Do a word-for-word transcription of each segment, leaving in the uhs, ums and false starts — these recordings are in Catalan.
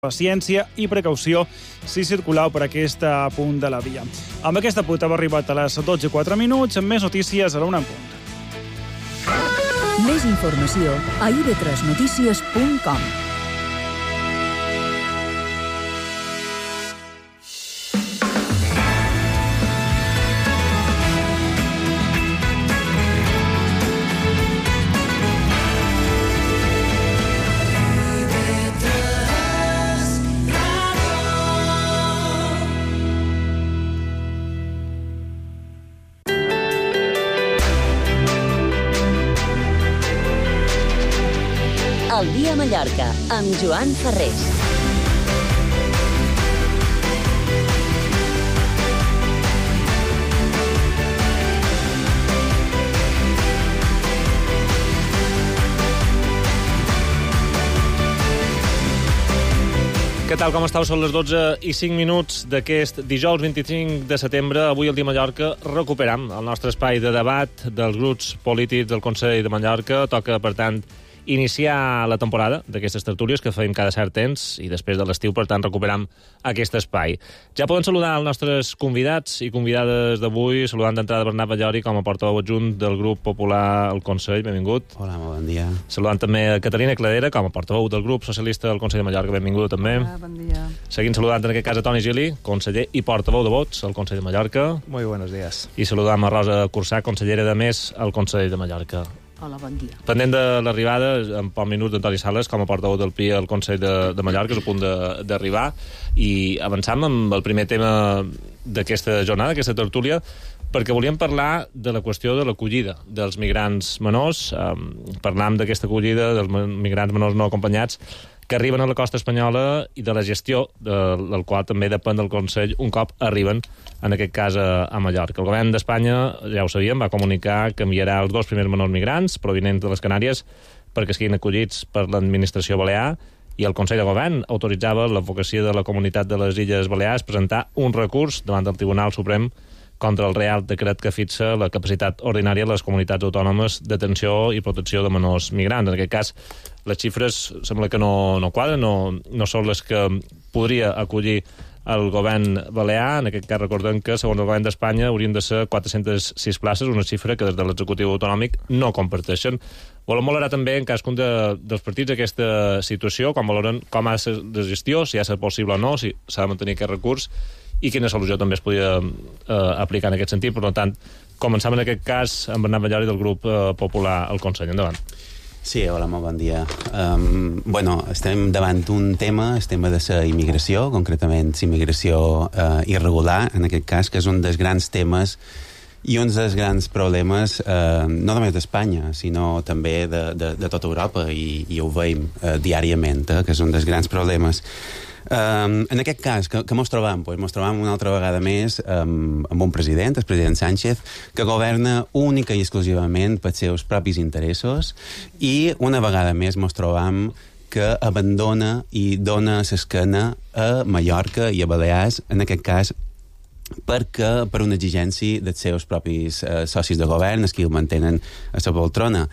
paciència i precaució si circuleu per aquest punt de la via. Amb aquesta punt hem arribat a les dotze i quatre minuts, amb més notícies a la una en punt. Més informació a i ve tres notícies punt com. El dia a Mallorca, amb Joan Ferrés. Què tal, com estàu? Són les dotze i cinc minuts d'aquest dijous vint-i-cinc de setembre. Avui, al dia a Mallorca, recuperam el nostre espai de debat dels grups polítics del Consell de Mallorca. Toca, per tant, iniciar la temporada d'aquestes tertúlies que feim cada cert temps i després de l'estiu, per tant, recuperam aquest espai. Ja poden saludar els nostres convidats i convidades d'avui, saludant d'entrada Bernat Ballori com a portaveu adjunt del grup popular al Consell. Benvingut. Hola, molt bon dia. Saludant també a Catalina Cladera com a portaveu del grup socialista del Consell de Mallorca. Benvingut també. Hola, bon dia. Seguint saludant en aquest cas a Toni Gili, conseller i portaveu de vots al Consell de Mallorca. Muy buenos días. I saludam a Rosa Cursà, consellera de Més al Consell de Mallorca. Hola, bon dia. Pendent de l'arribada, en poc minuts, d'Antoni Sales, com a portaveu del P I al Consell de, de Mallorca, és a punt d'arribar, i avançam amb el primer tema d'aquesta jornada, d'aquesta tertúlia, perquè volíem parlar de la qüestió de l'acollida dels migrants menors. Um, parlam d'aquesta acollida dels migrants menors no acompanyats que arriben a la costa espanyola i de la gestió de, del qual també depèn del Consell un cop arriben, en aquest cas, a, a Mallorca. El govern d'Espanya, ja ho sabíem, va comunicar que enviarà els dos primers menors migrants provinents de les Canàries perquè siguin acollits per l'administració balear, i el Consell de Govern autoritzava l'advocacia de la comunitat de les Illes Balears presentar un recurs davant del Tribunal Suprem contra el Real Decret que fixa la capacitat ordinària de les comunitats autònomes d'atenció i protecció de menors migrants. En aquest cas, les xifres sembla que no, no quadren, no, no són les que podria acollir el govern balear. En aquest cas, recordem que, segons el govern d'Espanya, haurien de ser quatre-centes sis places, una xifra que des de l'executiu autonòmic no comparteixen. Volem valorar també, en cadascun de, dels partits, aquesta situació, com valoren com ha de ser de gestió, si ha de ser possible o no, si s'ha de mantenir aquest recurs, i quina solució també es podia eh, aplicar en aquest sentit. Per tant, començam en aquest cas amb Bernat Ballori del grup eh, popular al Consell. Endavant. Sí, hola, molt bon dia. Um, bueno, estem davant un tema, el tema de la immigració, concretament immigració uh, irregular, en aquest cas, que és un dels grans temes i un dels grans problemes, eh, no només d'Espanya, sinó també de, de, de tota Europa, i, i ho veiem eh, diàriament, eh, que és un dels grans problemes. Um, en aquest cas, que, que mos trobam? Pues mos trobam una altra vegada més um, amb un president, el president Sánchez, que governa única i exclusivament pels seus propis interessos, i una vegada més mos trobam que abandona i dona l'esquena a Mallorca i a Balears, en aquest cas, perquè per una exigència dels seus propis eh, socis de govern, els que el mantenen a la poltrona.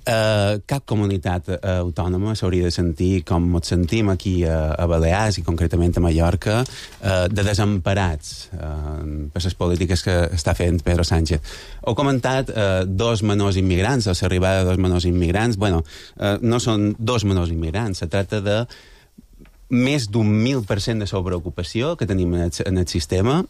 Uh, cap comunitat uh, autònoma s'hauria de sentir com ens sentim aquí a, a Balears i concretament a Mallorca, uh, de desemparats uh, per les polítiques que està fent Pedro Sánchez. Heu comentat uh, dos menors immigrants, o l'arribada de dos menors immigrants. Bueno, uh, no són dos menors immigrants, se tracta de més d'un mil per cent de sobreocupació que tenim en el, en el sistema,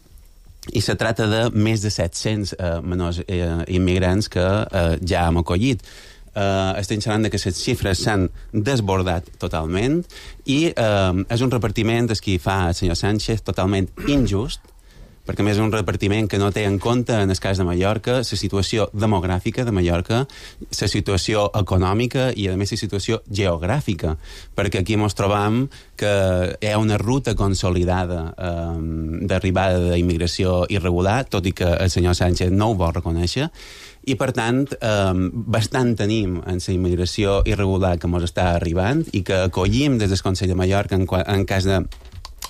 i se tracta de més de set-cents uh, menors uh, immigrants que uh, ja hem acollit. Uh, estem xerrant que les xifres s'han desbordat totalment, i uh, és un repartiment el que fa el senyor Sánchez totalment injust, perquè més és un repartiment que no té en compte, en el cas de Mallorca, la situació demogràfica de Mallorca, la situació econòmica i, a més, la situació geogràfica, perquè aquí ens trobam que hi ha una ruta consolidada um, d'arribada d'immigració irregular, tot i que el senyor Sánchez no ho vol reconèixer, i, per tant, eh, bastant tenim en la immigració irregular que ens està arribant i que acollim des del Consell de Mallorca en, en cas de,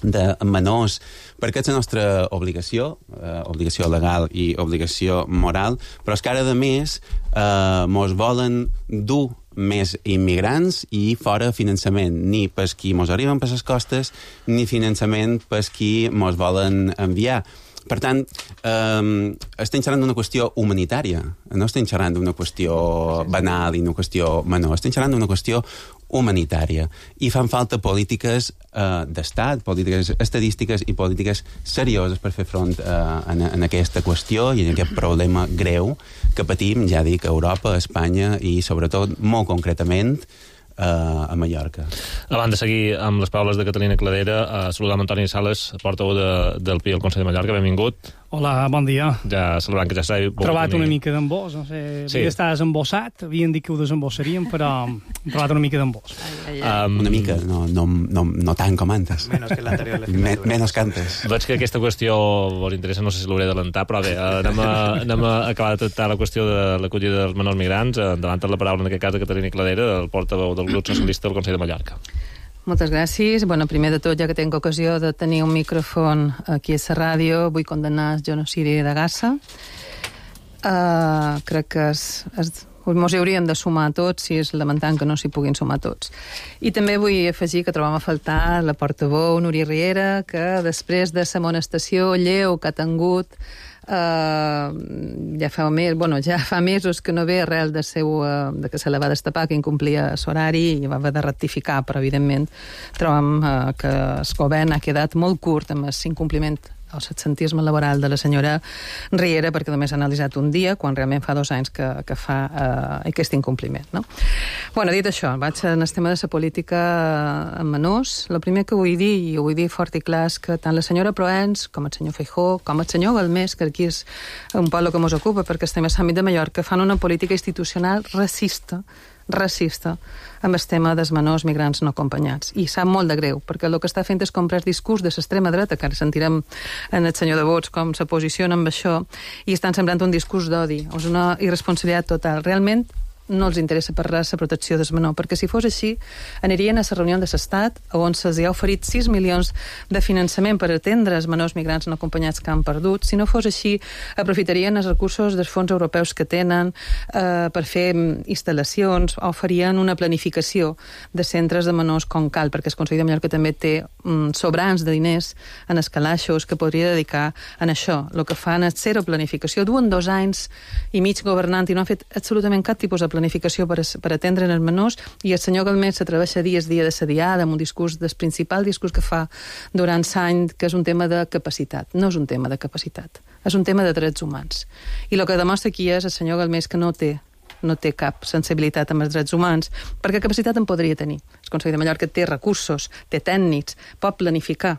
de menors, perquè és la nostra obligació, eh, obligació legal i obligació moral, però és que ara, de més, eh, mos volen dur més immigrants i fora finançament, ni pels qui mos arriben per les costes, ni finançament pels qui mos volen enviar. Per tant, eh, estem xerrant d'una qüestió humanitària, no estem xerrant d'una qüestió banal i una qüestió menor, estem xerrant d'una qüestió humanitària. I fan falta polítiques eh, d'estat, polítiques estadístiques i polítiques serioses per fer front eh, en, en aquesta qüestió i en aquest problema greu que patim, ja dic, a Europa, a Espanya i, sobretot, molt concretament, a Mallorca. Abans de seguir amb les paraules de Catalina Cladera, uh, saludam Antoni Sales, portaveu de, del P I al Consell de Mallorca. Benvingut. Hola, bon dia. Ja celebrant que ja s'ha trobat una mica d'embós, no sé, sí. Està desembossat, havien dit que ho desembossaríem, però hem trobat una mica d'embós. Um, una mica, no, no, no, no tant com antes. Menos que l'anterior. Me, menos que antes. Veig que aquesta qüestió vos interessa, no sé si l'hauré d'adelantar, però bé, anem a, anem a acabar de tractar la qüestió de l'acollida dels menors migrants. Endavant la paraula, en aquest cas, de Catalina Cladera, el portaveu del grup socialista del Consell de Mallorca. Moltes gràcies. Bueno, primer de tot, ja que tinc ocasió de tenir un micròfon aquí a la ràdio, vull condemnar el genocidi de Gaza. Uh, crec que es, es, mos hi hauríem de sumar tots, si és lamentant que no s'hi puguin sumar tots. I també vull afegir que trobam a faltar la portaveu Núria Riera, que després de la amonestació lleu que ha tingut Uh, ja, fa mes, bueno, ja fa mesos que no ve arrel de, seu, uh, de que se la va destapar, que incomplia l'horari i va haver de rectificar, però evidentment trobam uh, que el govern ha quedat molt curt amb l'incompliment o l'absentisme laboral de la senyora Riera, perquè només ha analitzat un dia, quan realment fa dos anys que, que fa uh, aquest incompliment. No? Bueno, dit això, vaig en el tema de la política en menors. El primer que vull dir, i ho vull dir fort i clar, és que tant la senyora Proens, com el senyor Feijóo, com el senyor Galmés, que aquí és un poble que mos ocupa, perquè estem a l'àmbit de Mallorca, fan una política institucional racista, racista amb el tema dels menors migrants no acompanyats. I sap molt de greu, perquè el que està fent és comprar el discurs de l'extrema dreta, que ara sentirem en el senyor de Vots com se posiciona amb això, i estan sembrant un discurs d'odi. És una irresponsabilitat total. Realment no els interessa per res la protecció del menor, perquè si fos així anirien a la reunió de l'Estat on se'ls ha oferit sis milions de finançament per atendre els menors migrants no acompanyats que han perdut. Si no fos així, aprofitarien els recursos dels fons europeus que tenen eh, per fer instal·lacions, o farien una planificació de centres de menors com cal, perquè el Consell de Mallorca també té mm, sobrants de diners en els calaixos que podria dedicar en això. El que fan és zero planificació. Duen dos anys i mig governant i no han fet absolutament cap tipus de planificació planificació per, per atendre els menors, i el senyor Galmés s'atreveix dia a dia de sa diada amb un discurs, del principal discurs que fa durant l'any, que és un tema de capacitat. No és un tema de capacitat, és un tema de drets humans. I el que demostra aquí és el senyor Galmés que no té no té cap sensibilitat amb els drets humans, perquè capacitat en podria tenir. El Consell de Mallorca té recursos, té tècnics, pot planificar.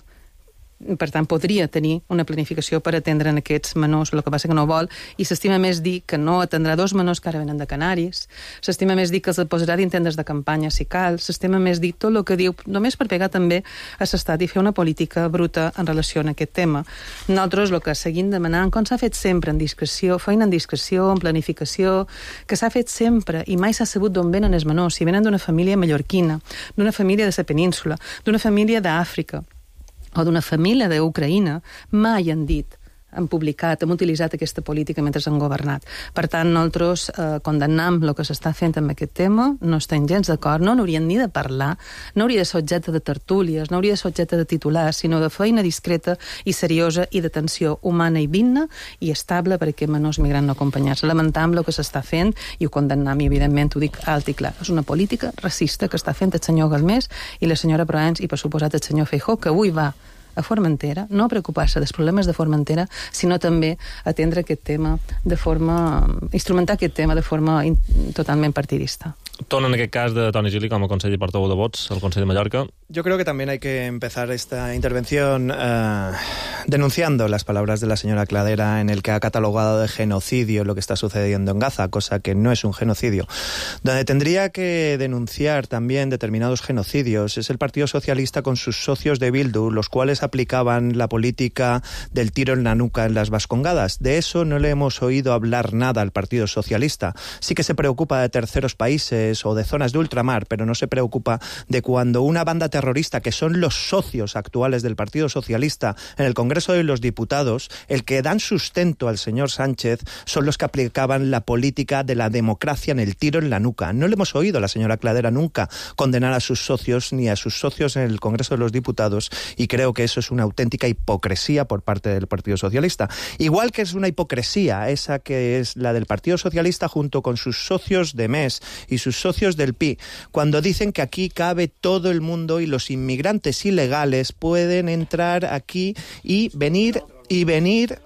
Per tant, podria tenir una planificació per atendre en aquests menors, el que passa que no vol, i s'estima més dir que no atendrà dos menors que ara venen de Canaris, s'estima més dir que els posarà d'intendes de campanya si cal, s'estima més dir tot el que diu, només per pegar també a l'Estat i fer una política bruta en relació a aquest tema. Nosaltres el que seguim demanant, com s'ha fet sempre en discreció, feina en discreció, en planificació, que s'ha fet sempre i mai s'ha sabut d'on venen els menors, si venen d'una família mallorquina, d'una família de la península, d'una família d'Àfrica, o d'una família d'Ucraïna, mai han dit, han publicat, han utilitzat aquesta política mentre han governat. Per tant, nosaltres eh, condemnem el que s'està fent amb aquest tema, no estem gens d'acord, no n'haurien ni de parlar, no hauria de ser objecte de tertúlies, no hauria de ser objecte de titulars, sinó de feina discreta i seriosa i d'atenció humana i digna i estable per a aquests menors migrants no acompanyats. Lamentam el que s'està fent i ho condemnem, i evidentment ho dic alt i clar. És una política racista que està fent el senyor Galmés i la senyora Proens i, per suposat, el senyor Feijóo, que avui va a Formentera, no a preocupar-se dels problemes de Formentera, sinó també a atendre aquest tema de forma... instrumentar aquest tema de forma in, totalment partidista. Torna en aquest cas de Toni Gili com a conseller portaveu de Vots al Consell de Mallorca. Yo creo que también hay que empezar esta intervención eh, denunciando las palabras de la señora Cladera, en el que ha catalogado de genocidio lo que está sucediendo en Gaza, cosa que no es un genocidio. Donde tendría que denunciar también determinados genocidios es el Partido Socialista con sus socios de Bildu, los cuales aplicaban la política del tiro en la nuca en las Vascongadas. De eso no le hemos oído hablar nada al Partido Socialista. Sí que se preocupa de terceros países montes o de zonas de ultramar, pero no se preocupa de cuando una banda terrorista, que son los socios actuales del Partido Socialista en el Congreso de los Diputados, el que dan sustento al señor Sánchez, son los que aplicaban la política de la democracia en el tiro en la nuca. No le hemos oído a la señora Cladera nunca condenar a sus socios ni a sus socios en el Congreso de los Diputados, y creo que eso es una auténtica hipocresía por parte del Partido Socialista. Igual que es una hipocresía esa que es la del Partido Socialista junto con sus socios de M E S y sus socios del P I, cuando dicen que aquí cabe todo el mundo y los inmigrantes ilegales pueden entrar aquí y venir y venir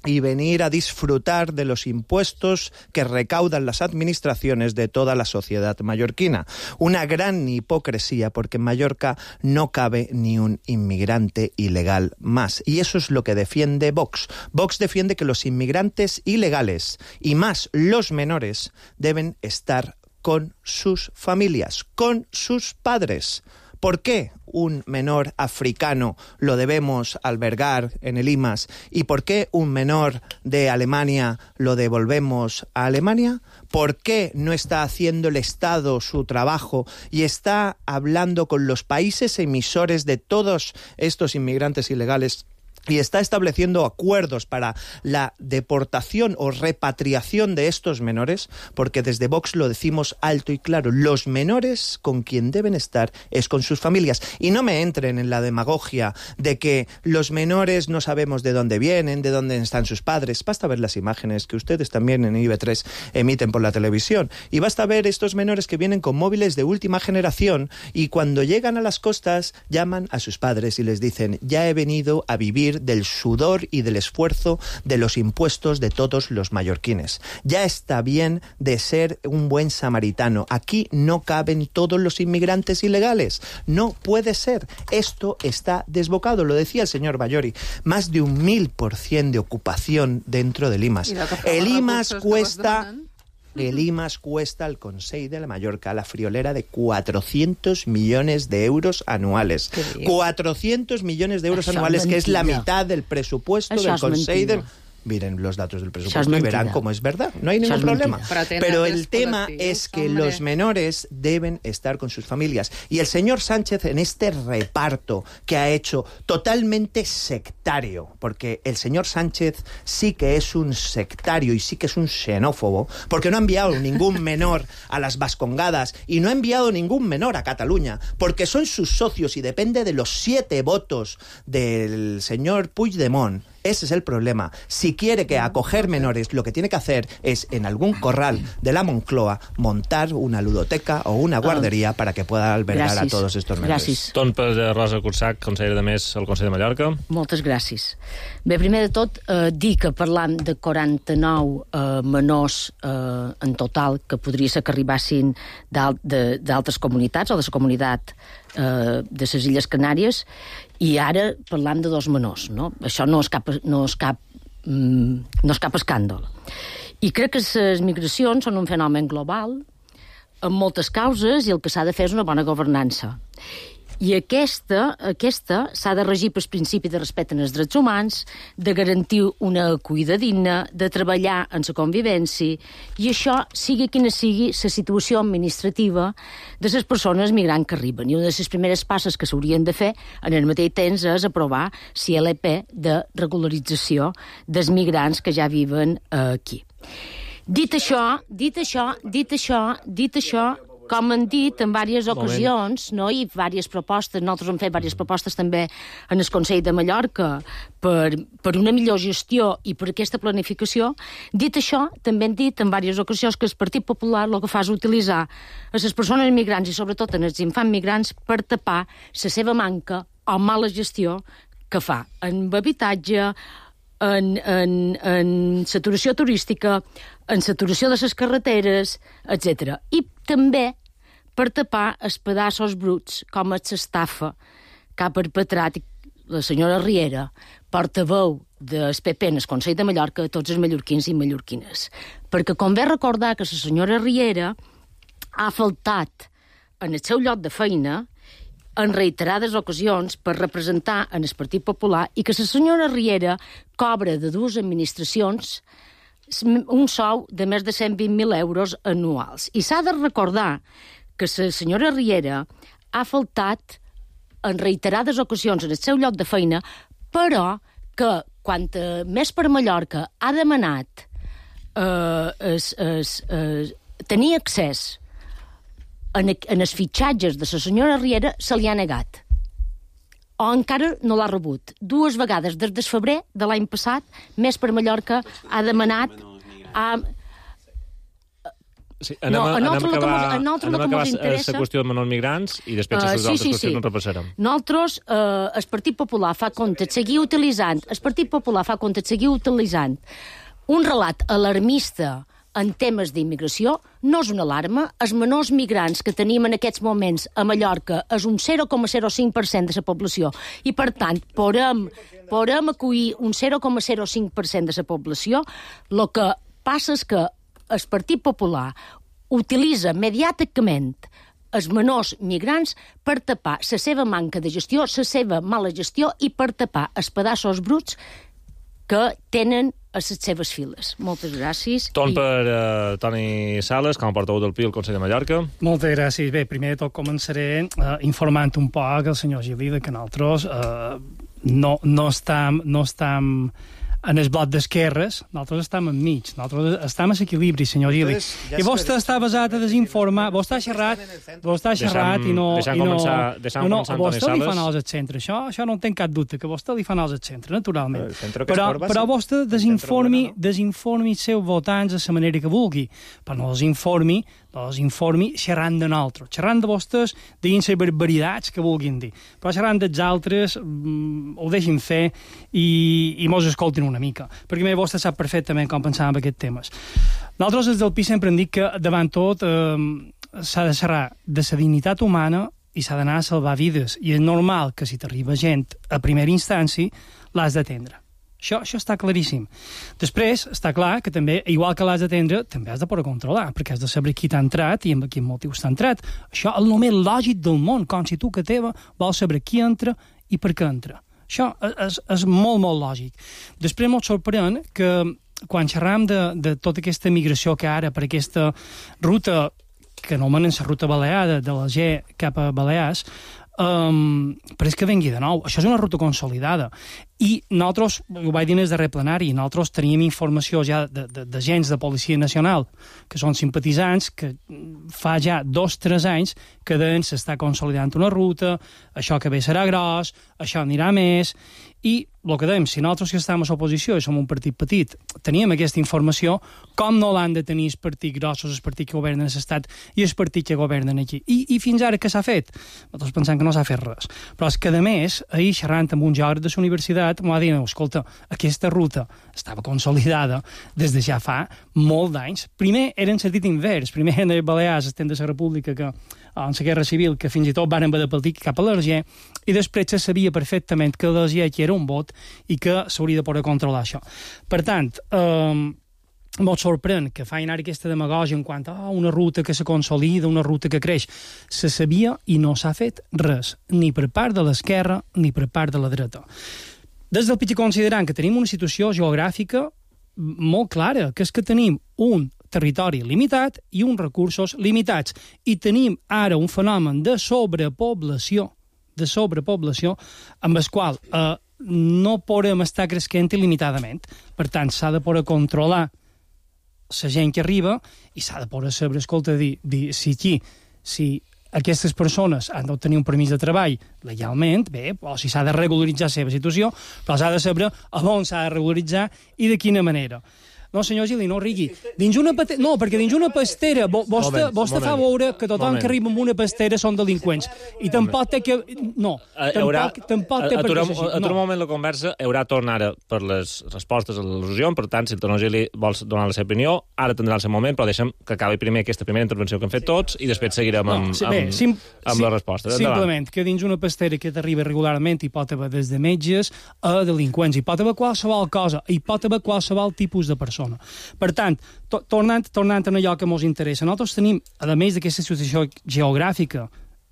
y venir a disfrutar de los impuestos que recaudan las administraciones de toda la sociedad mallorquina. Una gran hipocresía, porque en Mallorca no cabe ni un inmigrante ilegal más. Y eso es lo que defiende Vox. Vox defiende que los inmigrantes ilegales, y más los menores, deben estar con sus familias, con sus padres. ¿Por qué un menor africano lo debemos albergar en el I M A S? ¿Y por qué un menor de Alemania lo devolvemos a Alemania? ¿Por qué no está haciendo el Estado su trabajo y está hablando con los países emisores de todos estos inmigrantes ilegales y está estableciendo acuerdos para la deportación o repatriación de estos menores? Porque desde Vox lo decimos alto y claro, los menores con quien deben estar es con sus familias. Y no me entren en la demagogia de que los menores no sabemos de dónde vienen, de dónde están sus padres. Basta ver las imágenes que ustedes también en I B tres emiten por la televisión, y basta ver estos menores que vienen con móviles de última generación y cuando llegan a las costas llaman a sus padres y les dicen: ya he venido a vivir del sudor y del esfuerzo de los impuestos de todos los mallorquines. Ya está bien de ser un buen samaritano. Aquí no caben todos los inmigrantes ilegales. No puede ser. Esto está desbocado. Lo decía el señor Ballori. Más de un mil por cien de ocupación dentro del I M A S. El I M A S cuesta... El I M A S cuesta al Consell de la Mallorca la friolera de cuatrocientos millones de euros anuales. cuatrocientos millones de euros Això anuales, que es la mitad del presupuesto Això del Consell del... Miren los datos del presupuesto y verán cómo es verdad. No hay ningún problema. Pero el tema es que hombre. los menores deben estar con sus familias. Y el señor Sánchez, en este reparto que ha hecho totalmente sectario, porque el señor Sánchez sí que es un sectario y sí que es un xenófobo, porque no ha enviado ningún menor a las Vascongadas y no ha enviado ningún menor a Cataluña, porque son sus socios y depende de los siete votos del señor Puigdemont. Ese es el problema. Si quiere que acoger menores, lo que tiene que hacer es, en algún corral de la Moncloa, montar una ludoteca o una guardería para que pueda albergar gràcies. a todos estos menores. Gràcies. Ton per Rosa Cursac, consellera de Més al Consell de Mallorca. Moltes gràcies. Bé, primer de tot, eh, dir que parlant de quaranta-nou eh, menors eh, en total que podria ser que arribassin d'altres comunitats o de la comunitat eh, de les Illes Canàries, i ara parlant de dos menors, no? Això no és cap, no és cap, mm, no és cap escàndol. I crec que les migracions són un fenomen global, amb moltes causes, i el que s'ha de fer és una bona governança. I aquesta, aquesta s'ha de regir pel principi de respecte als drets humans, de garantir una acollida digna, de treballar en la convivència, i això sigui quina sigui la situació administrativa de les persones migrants que arriben. I una de les primeres passes que s'haurien de fer en el mateix temps és aprovar la L P de regularització dels migrants que ja viven aquí. Dit això, dit això, dit això, dit això, com han dit en diverses ocasions, no, i diverses propostes, nosaltres hem fet diverses propostes també en el Consell de Mallorca per, per una millor gestió i per aquesta planificació. Dit això, també hem dit en diverses ocasions que el Partit Popular el que fa és utilitzar a les persones migrants i sobretot en els infants migrants per tapar la seva manca o mala gestió que fa en habitatge, en, en, en saturació turística, en saturació de les carreteres, etcètera. I també per tapar els pedaços bruts, com és l'estafa que ha perpetrat la senyora Riera, portaveu del P P en el Consell de Mallorca, a tots els mallorquins i mallorquines. Perquè convé recordar que la senyora Riera ha faltat en el seu lloc de feina en reiterades ocasions per representar en el Partit Popular i que la senyora Riera cobra de dues administracions un sou de més de cent vint mil euros anuals. I s'ha de recordar que la senyora Riera ha faltat en reiterades ocasions en el seu lloc de feina, però que quan més per Mallorca ha demanat eh, es, es, es, tenir accés en, en els fitxatges de la senyora Riera, se li ha negat. O encara no l'ha rebut. Dues vegades des del febrer de l'any passat, Més per Mallorca ha demanat... Ha... Sí, anem, no, a, anem a acabar, anem a acabar la qüestió de menors migrants i després uh, les sí, altres sí, qüestions sí. no repassarem. Nosaltres, uh, el Partit Popular fa compte de seguir utilitzant, el Partit Popular fa compte de seguir utilitzant un relat alarmista en temes d'immigració, no és una alarma. Els menors migrants que tenim en aquests moments a Mallorca és un zero coma zero cinc per cent de la població i, per tant, podem, podem acollir un zero coma zero cinc per cent de la població. El que passa és que el Partit Popular utilitza mediàticament els menors migrants per tapar la seva manca de gestió, la seva mala gestió i per tapar els pedaços bruts que tenen a les seves files. Moltes gràcies. Torn I... per uh, Toni Sales, com a portaveu del P I al Consell de Mallorca. Moltes gràcies. Bé, primer de tot començaré uh, informant un poc el senyor Gili de que nosaltres uh, no, no estem... No estem en el bloc d'esquerres, nosaltres estem enmig, nosaltres estem a l'equilibri, senyor Gili. I vostè està basat a desinformar, vostè ha xerrat, vostè ha xerrat i no... Deixant començar, deixant no, no, començar vostè li fa nols al centre, això, això no en tenc cap dubte, que vostè li fa nols al centre, naturalment. Però, però vostè desinformi, desinformi els seus votants de la manera que vulgui, però no els informi, no els informi xerrant de nosaltres, xerrant de vostès, dient les barbaritats que vulguin dir, però xerrant dels altres mm, ho deixin fer i, i mos escoltin una mica, perquè bé, vostè sap perfectament com pensàvem en aquests temes. Nosaltres des del P I sempre hem dit que davant tot eh, s'ha de xerrar de la dignitat humana i s'ha d'anar a salvar vides, i és normal que si t'arriba gent a primera instància l'has d'atendre. Això, això està claríssim. Després, està clar que també, igual que l'has d'atendre, també has de poder controlar, perquè has de saber qui t'ha entrat i amb quin motiu t'ha entrat. Això és el més lògic del món, com si tu que teva vols saber qui entra i per què entra. Això és, és molt, molt lògic. Després m'ho sorprèn que quan xerram de, de tota aquesta migració que ara per aquesta ruta, que anomenen la ruta baleada, de l'Alger cap a Balears, Um, però és que vengui de nou. Això és una ruta consolidada. I nosaltres, ho vaig dir en el darrer plenari, nosaltres teníem informació ja d'agents de, de, de Policia Nacional, que són simpatitzants, que fa ja dos o tres anys que deien s'està consolidant una ruta, això que bé serà gros, això anirà més, i el que dèiem, si nosaltres que estem a l'oposició i som un partit petit, teníem aquesta informació, com no l'han de tenir els partits grossos, els partits que governen l'estat i els partits que governen aquí. I, i fins ara què s'ha fet? Nosaltres pensem que no s'ha fet res. Però és que, a més, ahir xerrant amb un geògraf de la universitat, m'ho va dir, escolta, aquesta ruta estava consolidada des de ja fa molt d'anys. Primer era en sentit invers, primer eren les Balears, estem de la República, que en la Guerra Civil, que fins i tot van haver de partir cap a l'Alger, i després se sabia perfectament que l'Alger aquí era un vot i que s'hauria de poder controlar això. Per tant, eh, molt sorprèn que facin ara aquesta demagògia en quant a oh, una ruta que se consolida, una ruta que creix. Se sabia i no s'ha fet res, ni per part de l'esquerra ni per part de la dreta. Des del P I considerant que tenim una situació geogràfica molt clara, que és que tenim un territori limitat i uns recursos limitats. I tenim ara un fenomen de sobrepoblació, de sobrepoblació, amb el qual eh, no podem estar creixent il·limitadament. Per tant, s'ha de poder controlar la gent que arriba i s'ha de poder saber, escolta, dir, dir si aquí, si aquestes persones han d'obtenir un permís de treball legalment, bé, o si s'ha de regularitzar la seva situació, però s'ha de saber a on s'ha de regularitzar i de quina manera. No, senyor Gili, no rigui. Dins una pastera... No, perquè dins una pastera vostè, vostè fa veure que tothom moment. que arriba amb una pastera són delinqüents. I tampoc té que... No, haurà, tampoc, tampoc té per què ser així. Aturem un moment la conversa, haurà tornar ara per les respostes a l'al·lusió, per tant, si el senyor Gili vols donar la seva opinió, ara tindrà el seu moment, però deixem que acabi primer aquesta primera intervenció que hem fet tots i després seguirem amb, no, sí, bé, amb, sim, amb sim, les respostes. Simplement, que dins una pastera que t'arriba regularment hi pot haver des de metges a delinqüents, hi pot haver qualsevol cosa, hi pot haver qualsevol tipus de persona. Per tant, to tornant, tornant a allò que ens interessa, nosaltres tenim, a més d'aquesta situació geogràfica,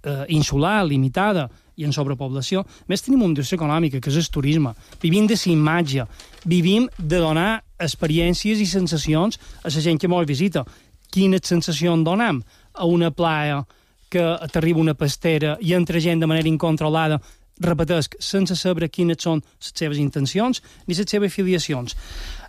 eh, insular, limitada i en sobrepoblació, més tenim una indústria econòmica, que és el turisme. Vivim de la imatge, vivim de donar experiències i sensacions a la gent que ens visita. Quines sensacions donem a una playa que t'arriba una pastera i entra gent de manera incontrolada, repetesc, sense saber quines són les seves intencions ni les seves filiacions.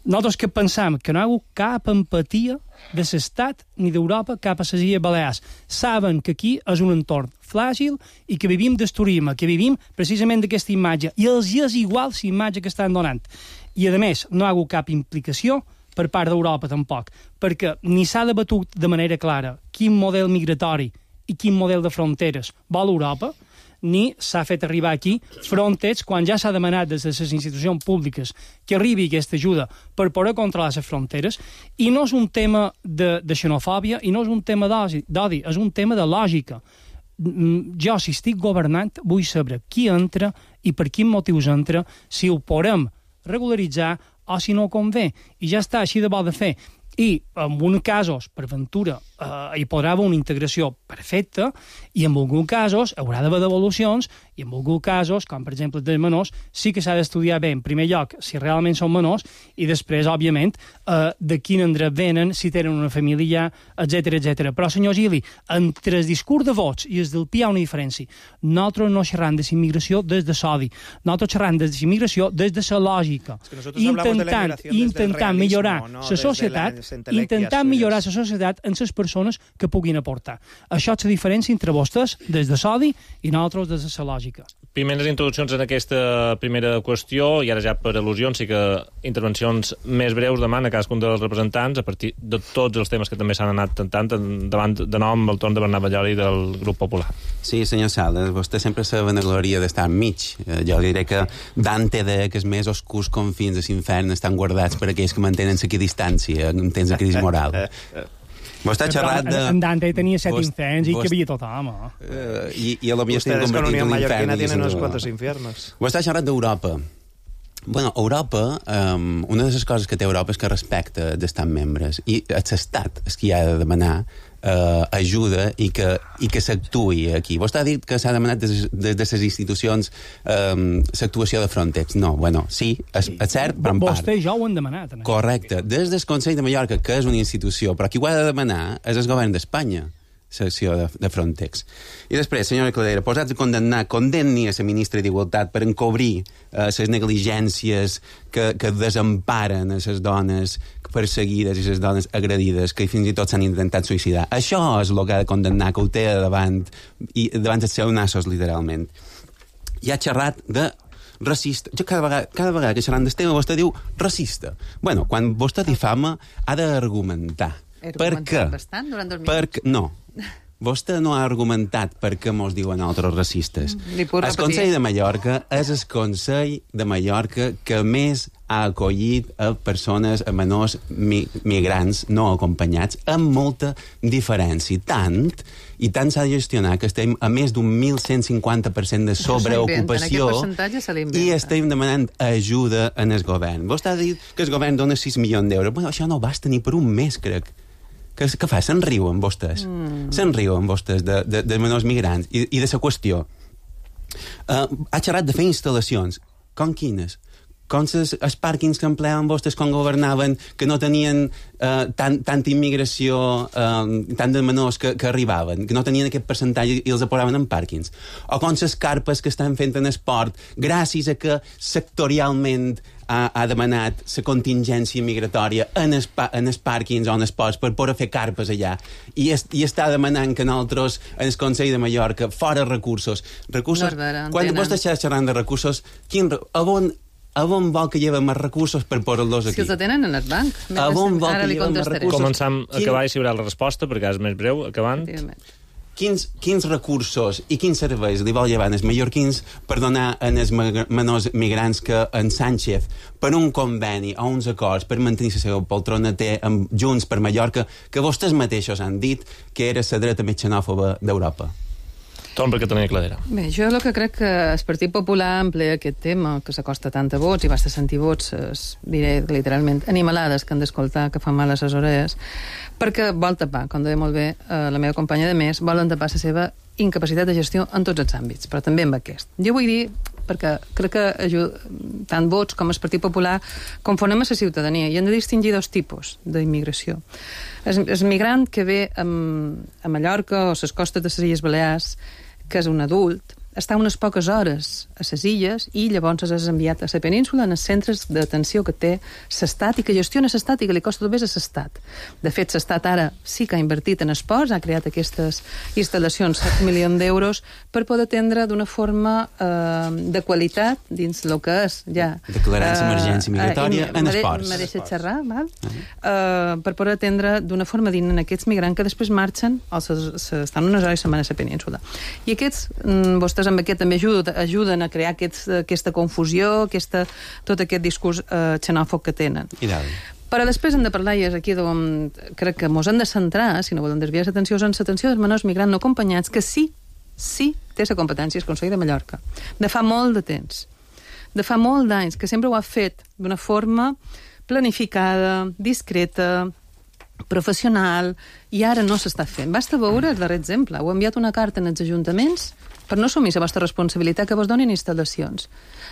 Nosaltres que pensam que no hi ha hagut cap empatia de l'Estat ni d'Europa cap a les Illes Balears. Saben que aquí és un entorn fràgil i que vivim del turisme, que vivim precisament d'aquesta imatge, i els és igual la imatge que estan donant. I, a més, no hi ha hagut cap implicació per part d'Europa tampoc, perquè ni s'ha debatut de manera clara quin model migratori i quin model de fronteres vol Europa, ni s'ha fet arribar aquí Frontex quan ja s'ha demanat des de les institucions públiques que arribi aquesta ajuda per poder controlar les fronteres. I no és un tema de, de xenofòbia i no és un tema d'odi, és un tema de lògica. Jo, si estic governant, vull saber qui entra i per quins motius entra, si ho podem regularitzar o si no convé. I ja està, així de bo de fer. I en alguns casos, per ventura, eh, hi podrà haver una integració perfecta, i en alguns casos haurà d'haver devolucions, i en alguns casos, com per exemple dels menors, sí que s'ha d'estudiar bé, en primer lloc, si realment són menors, i després, òbviament, eh, de quin endret venen, si tenen una família, etcètera, etcètera. Però, senyor Gili, entre el discurs de vots i el del P hi ha una diferència. Nosaltres no xerram de la immigració des de l'odi, nosaltres xerram de la immigració des de la lògica, intentant, intentant millorar la societat, intentant millorar la societat en les persones que puguin aportar. Això és la diferència entre vostès des de l'odi i nosaltres des de la lògica. Primeres introduccions en aquesta primera qüestió, i ara ja per al·lusions, sí que intervencions més breus demana a cadascun dels representants a partir de tots els temes que també s'han anat tentant davant de nom el torn de Bernat Balloli del Grup Popular. Sí, senyor Sales, vostè sempre se vanagloria d'estar enmig. Jo diré que Dante deia que els més oscurs confins de l'infern estan guardats per aquells que mantenen l'equidistància en temps de crisi moral. Vostè ha xerrat de... En Dante tenia set inferns i que havia tothom. Uh, I, I a lo millor estem convertint en Unión l'infern. Mallorquina tienen unos cuantos infiernos. Vostè ha xerrat d'Europa. Bueno, Europa, um, una de les coses que té Europa és que respecta d'estar membres, i és l'estat el que hi ha de demanar uh, ajuda i que, i que s'actuï aquí. Vostè ha dit que s'ha demanat des, des de les institucions um, l'actuació de Frontex. No, bueno, sí, és, és cert, però en part. Vostè i jo ho hem demanat. Correcte. Des del Consell de Mallorca, que és una institució, però qui ho ha de demanar és el govern d'Espanya, secció de, de Frontex. I després, senyora Cladera, posats a condemnar, condemni a la ministra d'Igualtat per encobrir les eh, negligències que, que desemparen a les dones perseguides i les dones agredides, que fins i tot s'han intentat suïcidar. Això és el que ha de condemnar, que ho té davant, i davant els seus nassos, literalment. I ha xerrat de racista. Jo cada vegada, cada vegada que xerrant del tema vostè diu racista. Bueno, quan vostè difama ha d'argumentar. Per què? Bastant durant dos minuts. Perquè, no. Vostè no ha argumentat per què mos diuen altres racistes. El Consell de Mallorca és el Consell de Mallorca que més ha acollit a persones, a menors mi, migrants no acompanyats, amb molta diferència. Tant, i tant s'ha de gestionar que estem a més d'un mil cent cinquanta per cent de sobreocupació i estem demanant ajuda en el govern. Vostè ha dit que el govern dona sis milions d'euros. Bueno, això no basta ni per un mes, crec. Que, que fa? Se'n riuen vostès. Mm. Se'n riuen vostès de, de, de menors migrants i, i de la qüestió. Uh, ha xerrat de fer instal·lacions. Com quines? Com ses, els pàrquings que empleaven vostès quan governaven, que no tenien uh, tant, tanta immigració, uh, tant de menors que, que arribaven, que no tenien aquest percentatge i els aporaven en pàrquings. O com les carpes que estan fent en esport, gràcies a que sectorialment ha, ha demanat la contingència migratòria en els, en els pàrquings o en els ports per poder fer carpes allà. I, es, i està demanant que nosaltres, en el Consell de Mallorca, fora recursos. recursos no vera, quan vostè està xerrant de recursos, quin, a on... A on vol que lleven més recursos per posar-los aquí? Si els tenen en el banc. A on vol que lleven més recursos? Començam a acabar i si haurà la resposta, perquè és més breu, acabant. Quins, quins recursos i quins serveis li vol llevar els mallorquins per donar als menors migrants que en Sánchez, per un conveni o uns acords per mantenir la seva poltrona té amb Junts per Mallorca, que vostès mateixos han dit que era la dreta més xenòfoba d'Europa? Torn per Catalunya Cladera. Bé, jo el que crec que el Partit Popular emplea aquest tema, que s'acosta tant a vots i basta sentir vots, es, diré literalment, animalades que han d'escoltar, que fan mal a les orelles, perquè vol tapar, com deia molt bé eh, la meva companya de més, volen tapar la seva incapacitat de gestió en tots els àmbits, però també en aquest. Jo vull dir, perquè crec que ajuda, tant Vox com el Partit Popular confonem a la ciutadania i hem de distingir dos tipus d'immigració. El, el migrant que ve a, a Mallorca o a les costes de les Illes Balears, que és un adult, està unes poques hores a les illes i llavors és enviat a la península en els centres d'atenció que té l'Estat i que gestiona l'Estat i que li costa tot més a l'Estat. De fet, l'Estat ara sí que ha invertit en esports, ha creat aquestes instal·lacions, set milions d'euros, per poder atendre d'una forma eh, de qualitat dins el que és ja... Declarant l'emergència uh, migratòria uh, en esports. Me deixa xerrar, val? Uh -huh. uh, per poder atendre d'una forma digna en aquests migrants que després marxen o se, se, estan unes hores setmana a la península. I aquests, mm, vostès amb aquest també ajuden, ajuden a crear aquests, aquesta confusió, aquesta, tot aquest discurs eh, xenòfob que tenen. I dalt. Però després hem de parlar, i és aquí on crec que mos hem de centrar, si no volem desviar l'atenció, en l'atenció dels menors migrants no acompanyats, que sí, sí té la competència el Consell de Mallorca, de fa molt de temps, de fa molt d'anys, que sempre ho ha fet d'una forma planificada, discreta, professional, i ara no s'està fent. Basta veure el darrer exemple. Heu enviat una carta en els ajuntaments per no assumir la vostra responsabilitat que vos donin instal·lacions.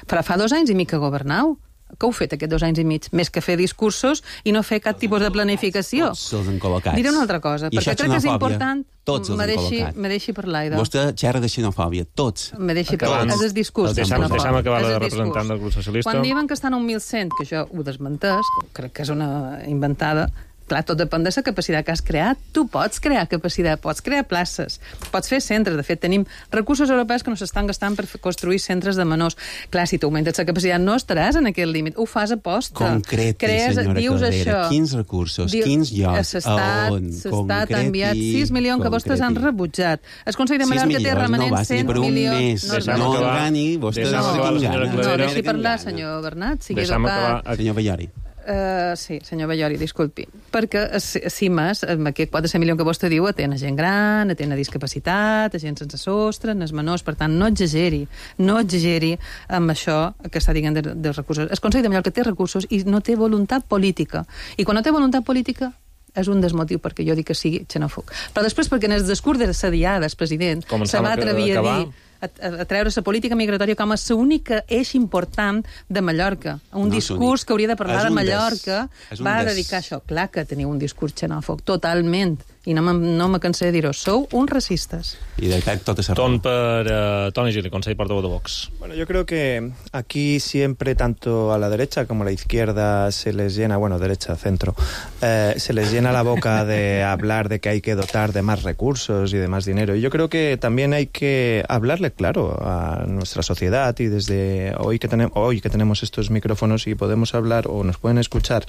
Però fa dos anys i mig que governau. Què heu fet aquests dos anys i mig? Més que fer discursos i no fer cap tipus de planificació. Tots els han col·locats. Diré una altra cosa, I perquè crec que és important... Tots els han col·locat. Me deixi parlar, Ido. Vostè xerra de xenofòbia, tots. Me deixi parlar. És el discurs. Deixa'm acabar la representant del grup socialista. Quan diuen que estan a un mil cent, que jo ho desmentès, crec que és una inventada, clar, tot depèn de la capacitat que has creat. Tu pots crear capacitat, pots crear places, pots fer centres. De fet, tenim recursos europeus que no s'estan gastant per construir centres de menors. Clar, si tu augmentes la capacitat, no estaràs en aquest límit. Ho fas a posta. Concreti, Crees, senyora dius Caldera. això. Quins recursos, Diu, quins llocs, s'estat, on? S'estat ha enviat sis milions que vostès han rebutjat. El Consell de Mallorca té remanent cent milions. No engani, vostè no engana. No, deixi parlar, senyor Bernat, sigui educat. Senyor Ballori. Uh, sí, senyor Ballori, disculpi. Perquè a CIMAS, amb aquest quatre cents milions que vostè diu, atén a gent gran, atén a discapacitat, a gent sense sostre, a menors, per tant, no exageri, no exageri amb això que està dient dels de recursos. El Consell de Mallorca té recursos i no té voluntat política. I quan no té voluntat política, és un desmotiu perquè jo dic que sigui xenòfob. Però després, perquè en el discurs de la diada, el president se va atrevir a dir a, a treure la política migratòria com a l'única eix important de Mallorca. Un no, discurs que hauria de parlar de Mallorca des, va des... dedicar a això. Clar que teniu un discurs xenòfob, totalment. I no, no me cansé de dir-ho. Sou uns racistes. I de fet, tot és Ton per uh, Toni Gili, Consell Portavoz de Vox. Bueno, yo creo que aquí siempre, tanto a la derecha como a la izquierda, se les llena, bueno, derecha, centro, eh, se les llena la boca de hablar de que hay que dotar de más recursos y de más dinero. Y yo creo que también hay que hablarle claro a nuestra sociedad, y desde hoy que, tenemos, hoy que tenemos estos micrófonos y podemos hablar o nos pueden escuchar,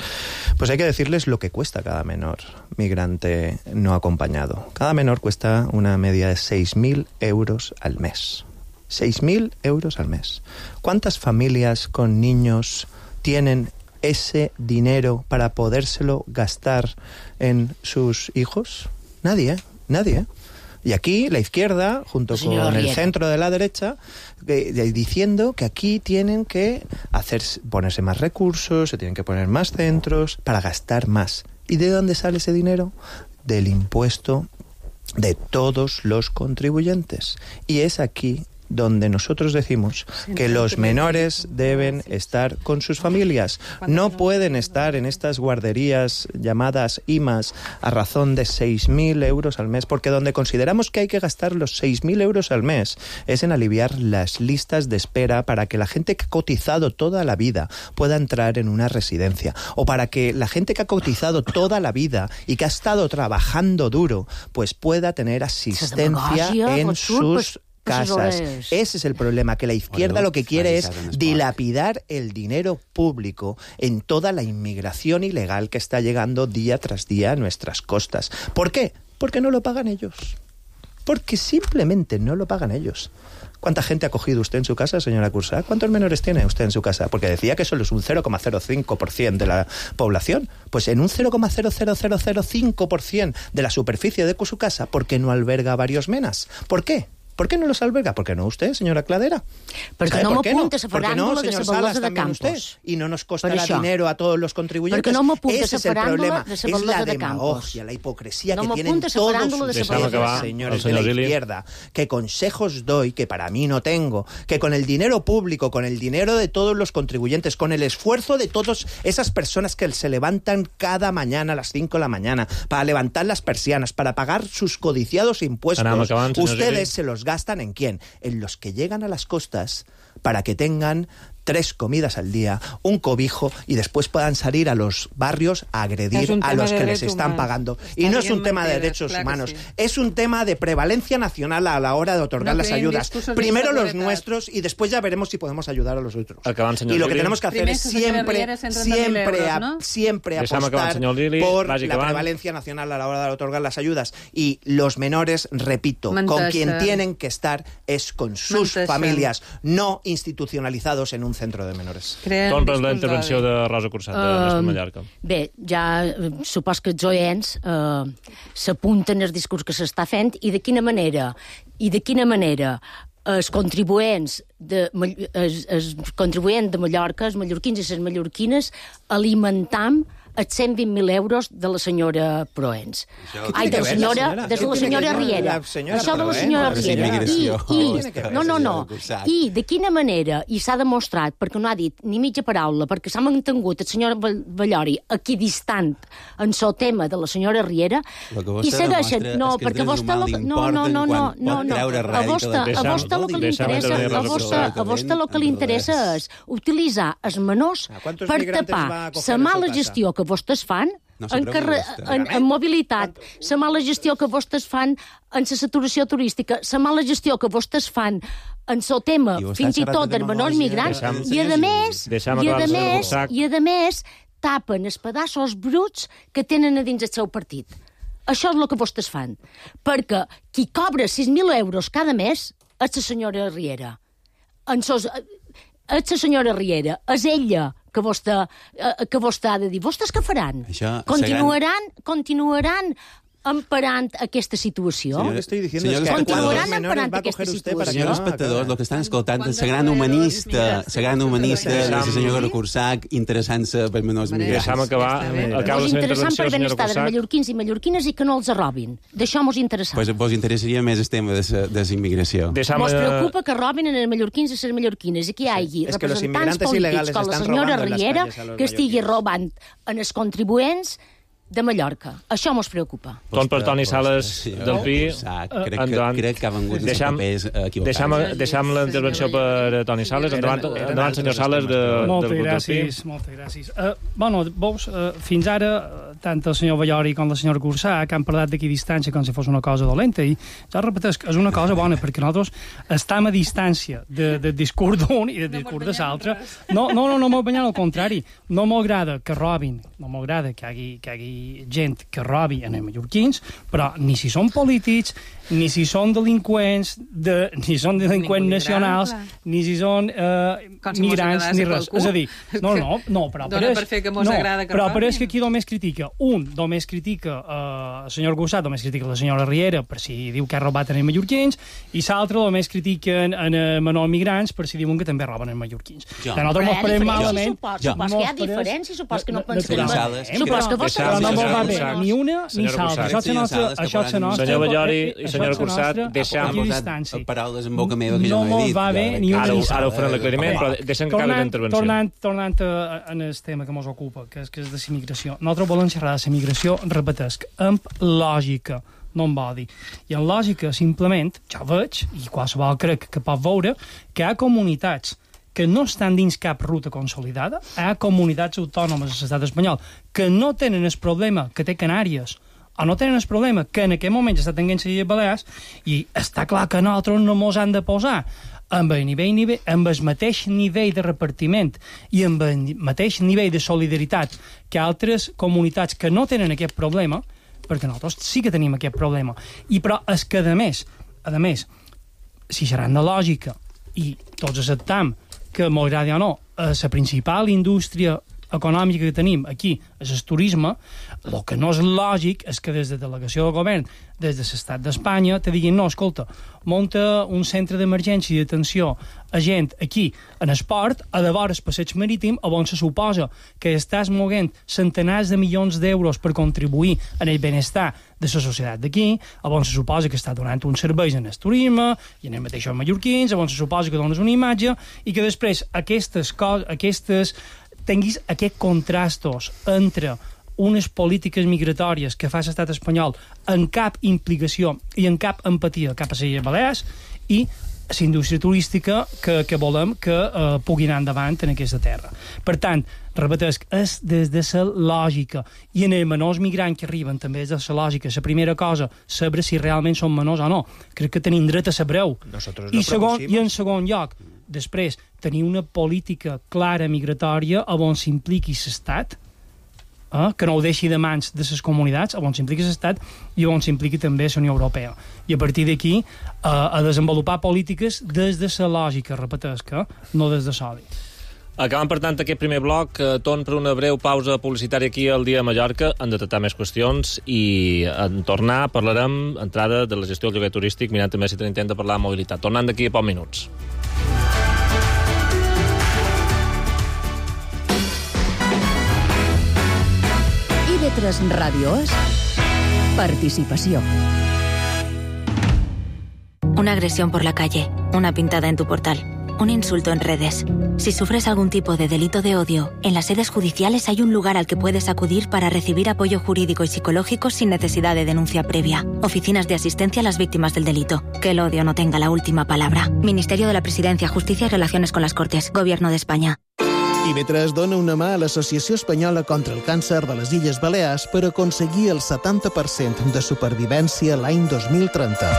pues hay que decirles lo que cuesta cada menor migrante no acompañado. Cada menor cuesta una media de seis mil euros al mes. seis mil euros al mes. ¿Cuántas familias con niños tienen ese dinero para podérselo gastar en sus hijos? Nadie, ¿eh? Nadie, ¿eh? Y aquí la izquierda, junto con el centro de la derecha, eh, diciendo que aquí tienen que hacer, ponerse más recursos, se tienen que poner más centros para gastar más. ¿Y de dónde sale ese dinero? Del impuesto de todos los contribuyentes. Y es aquí donde nosotros decimos que los menores deben estar con sus familias. No pueden estar en estas guarderías llamadas I M A S a razón de seis mil euros al mes, porque donde consideramos que hay que gastar los seis mil euros al mes es en aliviar las listas de espera para que la gente que ha cotizado toda la vida pueda entrar en una residencia, o para que la gente que ha cotizado toda la vida y que ha estado trabajando duro pues pueda tener asistencia en sus casas. Ese es el problema, que la izquierda lo que quiere es dilapidar el dinero público en toda la inmigración ilegal que está llegando día tras día a nuestras costas. ¿Por qué? Porque no lo pagan ellos. Porque simplemente no lo pagan ellos. ¿Cuánta gente ha cogido usted en su casa, señora Cursá? ¿Cuántos menores tiene usted en su casa? Porque decía que solo es un cero coma cero cinco por ciento de la población. Pues en un cero coma cero cero cero cinco por ciento de la superficie de su casa, ¿por qué no alberga varios menas? ¿Por qué? ¿Por qué no los alberga? ¿Por qué no usted, señora Cladera? Perquè no m'apunta la no, faràndula de la Baldesa de Campos. Usted, y no nos costará dinero a todos los contribuyentes. Perquè no m'apunta Ese la faràndula de la es la Baldesa de Campos. demagogia, la hipocresía no que tienen todos ustedes, señores de la izquierda. ¿Qué consejos doy que para mí no tengo? Que con el dinero público, con el dinero de todos los contribuyentes, con el esfuerzo de todas esas personas que se levantan cada mañana a las cinco de la mañana para levantar las persianas, para pagar sus codiciados impuestos, acabant, ustedes se los gastan ¿en quién? En los que llegan a las costas para que tengan tres comidas al día, un cobijo y después puedan salir a los barrios a agredir a los que les están humanos. pagando. Está y no es un tema mentiras, de derechos claro humanos, sí. Es un tema de prevalencia nacional a la hora de otorgar no las ayudas. Primero los nuestros y después ya veremos si podemos ayudar a los otros. Acabant, y lo que tenemos que hacer Primer, es siempre, siempre, euros, ¿no? siempre apostar acabant, Lili, por la prevalencia nacional a la hora de otorgar las ayudas. Y los menores, repito, Mentesa. con quien tienen que estar es con sus Mentesa. familias, no institucionalizados en un centre de menors. Com per la intervenció de Rosa Cursat, de Mestre Mallorca. Bé, ja supos que els oients uh, s'apunten al discurs que s'està fent i de quina manera, i de quina manera els contribuents de, els, els contribuents de Mallorca, els mallorquins i les mallorquines, alimentam els cent vint mil euros de la senyora Proens. Ai, de la senyora, de la senyora Riera. Això de la senyora Riera. I, i, no, no, no. I de quina manera, i s'ha demostrat, perquè no ha dit ni mitja paraula, perquè s'ha mantingut el senyor Ballori equidistant en el tema de la senyora Riera, i segueixen... No, perquè a vostè... No, no, no, no, no, no. A vostè el que li interessa, a vostè, a vostè el que li interessa és utilitzar els menors per tapar la mala gestió que vostès fan no en, carre... en, en mobilitat, la mala gestió que vostès fan en la saturació turística, la mala gestió que vostès fan en el tema, fins i tot, dels menors migrants, i a més, i a més, i a més, tapen els pedaços bruts que tenen a dins el seu partit. Això és el que vostès fan. Perquè qui cobra sis mil euros cada mes és la senyora Riera. En sos... És la senyora Riera. És ella que vostè, que vostè ha de dir. Vostès què faran? Això, continuaran, gran... continuaran emparant aquesta situació? Sí, estoy diciendo es que continuaran emparant aquesta situació? Senyors espectadors, el que estan escoltant és la gran humanista, la gran humanista de la senyora Cursac, interessant-se per menors migrants. Deixa'm acabar. Mos interessant per benestar dels mallorquins i mallorquines i que no els robin. D'això mos interessa. Pues vos interessaria més el tema de la immigració. Mos preocupa que robin els mallorquins i les mallorquines i que hi hagi representants polítics com la senyora Riera que estigui robant en els contribuents de Mallorca. Això mos preocupa. Torn per Toni Sales del Pi. Crec que, crec que ha vengut els papers equivocats. Deixam la intervenció per Toni Sales. Endavant, endavant senyor Sales, de, moltes del grup gràcies, del Pi. Moltes gràcies. Uh, bueno, veus, uh, fins ara, tant el senyor Ballori com la senyora Cursac han parlat d'aquí distància com si fos una cosa dolenta, i jo repeteix que és una cosa bona, perquè nosaltres estem a distància de, de discurs d'un i de discurs de l'altre. No, no, no, no m'ho banyant, al contrari. No m'agrada que robin, no m'agrada que hi hagi, que hi hagi gent que robi en els mallorquins, però ni si són polítics, ni si són delinqüents, de, ni són delinqüents nacionals, ni si són eh, migrants, ni res. És a dir, no, no, no, però Dona per fer que mos no, agrada que però robin. Però és que aquí només critica, un, només critica eh, el senyor Cursat, només critica la senyora Riera per si diu que ha robat en els mallorquins, i l'altre només critiquen en els menors migrants per si diuen que també roben en els mallorquins. Ja. Nosaltres mos parem malament. Supos que hi ha diferències, supos que no pensem... Supos que vostè... No mos va bé ni una ni l'altra. Això és la nostra... Senyor Ballori i senyora Cursat, deixem paraules en boca meva que jo no he dit. No va bé ni una ni l'altra. Ara ho farem l'aclariment, però deixem que acabi la intervenció. Tornant, tornant en el tema que ens ocupa, que és, que és de la immigració. Nosaltres volem xerrar de la immigració, repetesc, amb lògica, no amb odi. I en lògica, simplement, jo veig, i qualsevol crec que pot veure, que hi ha comunitats que no estan dins cap ruta consolidada, hi ha comunitats autònomes a l'estat espanyol que no tenen el problema que té Canàries, o no tenen el problema que en aquest moment està tenint les Illes Balears, i està clar que nosaltres no mos han de posar amb el, nivell, nivell, amb el mateix nivell de repartiment i amb el mateix nivell de solidaritat que altres comunitats que no tenen aquest problema, perquè nosaltres sí que tenim aquest problema. I però és que, a més, a més, si seran de lògica i tots acceptam que, m'agradi o no, la principal indústria econòmica que tenim aquí és el turisme, el que no és lògic és que des de delegació del govern, des de l'estat d'Espanya, te diguin, no, escolta, munta un centre d'emergència i d'atenció a gent aquí en esport, a de vora el passeig marítim, on se suposa que estàs moguent centenars de milions d'euros per contribuir en el benestar de la societat d'aquí, on se suposa que està donant uns serveis en el turisme i en els mateixos mallorquins, on se suposa que dones una imatge i que després aquestes coses, aquestes tinguis aquests contrastos entre unes polítiques migratòries que fa l'estat espanyol en cap implicació i en cap empatia cap a les Illes Balears i la indústria turística que, que volem que eh, pugui anar endavant en aquesta terra. Per tant, repetesc, és des de la lògica i en els menors migrants que arriben també és de la lògica. La primera cosa, saber si realment són menors o no. Crec que tenim dret a saber-ho. I, segon, I en segon lloc, després, tenir una política clara migratòria on s'impliqui l'estat, eh, que no ho deixi de mans de les comunitats, on s'impliqui l'estat i on s'impliqui també la Unió Europea. I a partir d'aquí eh, a desenvolupar polítiques des de la lògica, repetesc, eh, no des de l'odi. Acabant, per tant, aquest primer bloc, eh, torn per una breu pausa publicitària aquí al Dia de Mallorca. Han de tractar més qüestions i en tornar parlarem, entrada de la gestió del lloguer turístic, mirant també si tenim temps de parlar de mobilitat. Tornant d'aquí a pocs minuts. I V tres Ràdio és participació. Una agresión por la calle, una pintada en tu portal, un insulto en redes. Si sufres algún tipo de delito de odio, en las sedes judiciales hay un lugar al que puedes acudir para recibir apoyo jurídico y psicológico sin necesidad de denuncia previa. Oficinas de asistencia a las víctimas del delito. Que el odio no tenga la última palabra. Ministerio de la Presidencia, Justicia y Relaciones con las Cortes. Gobierno de España. I V tres dona una mà a l'Associació Espanyola contra el Càncer de les Illes Balears per aconseguir el setanta per cent de supervivència l'any dos mil trenta.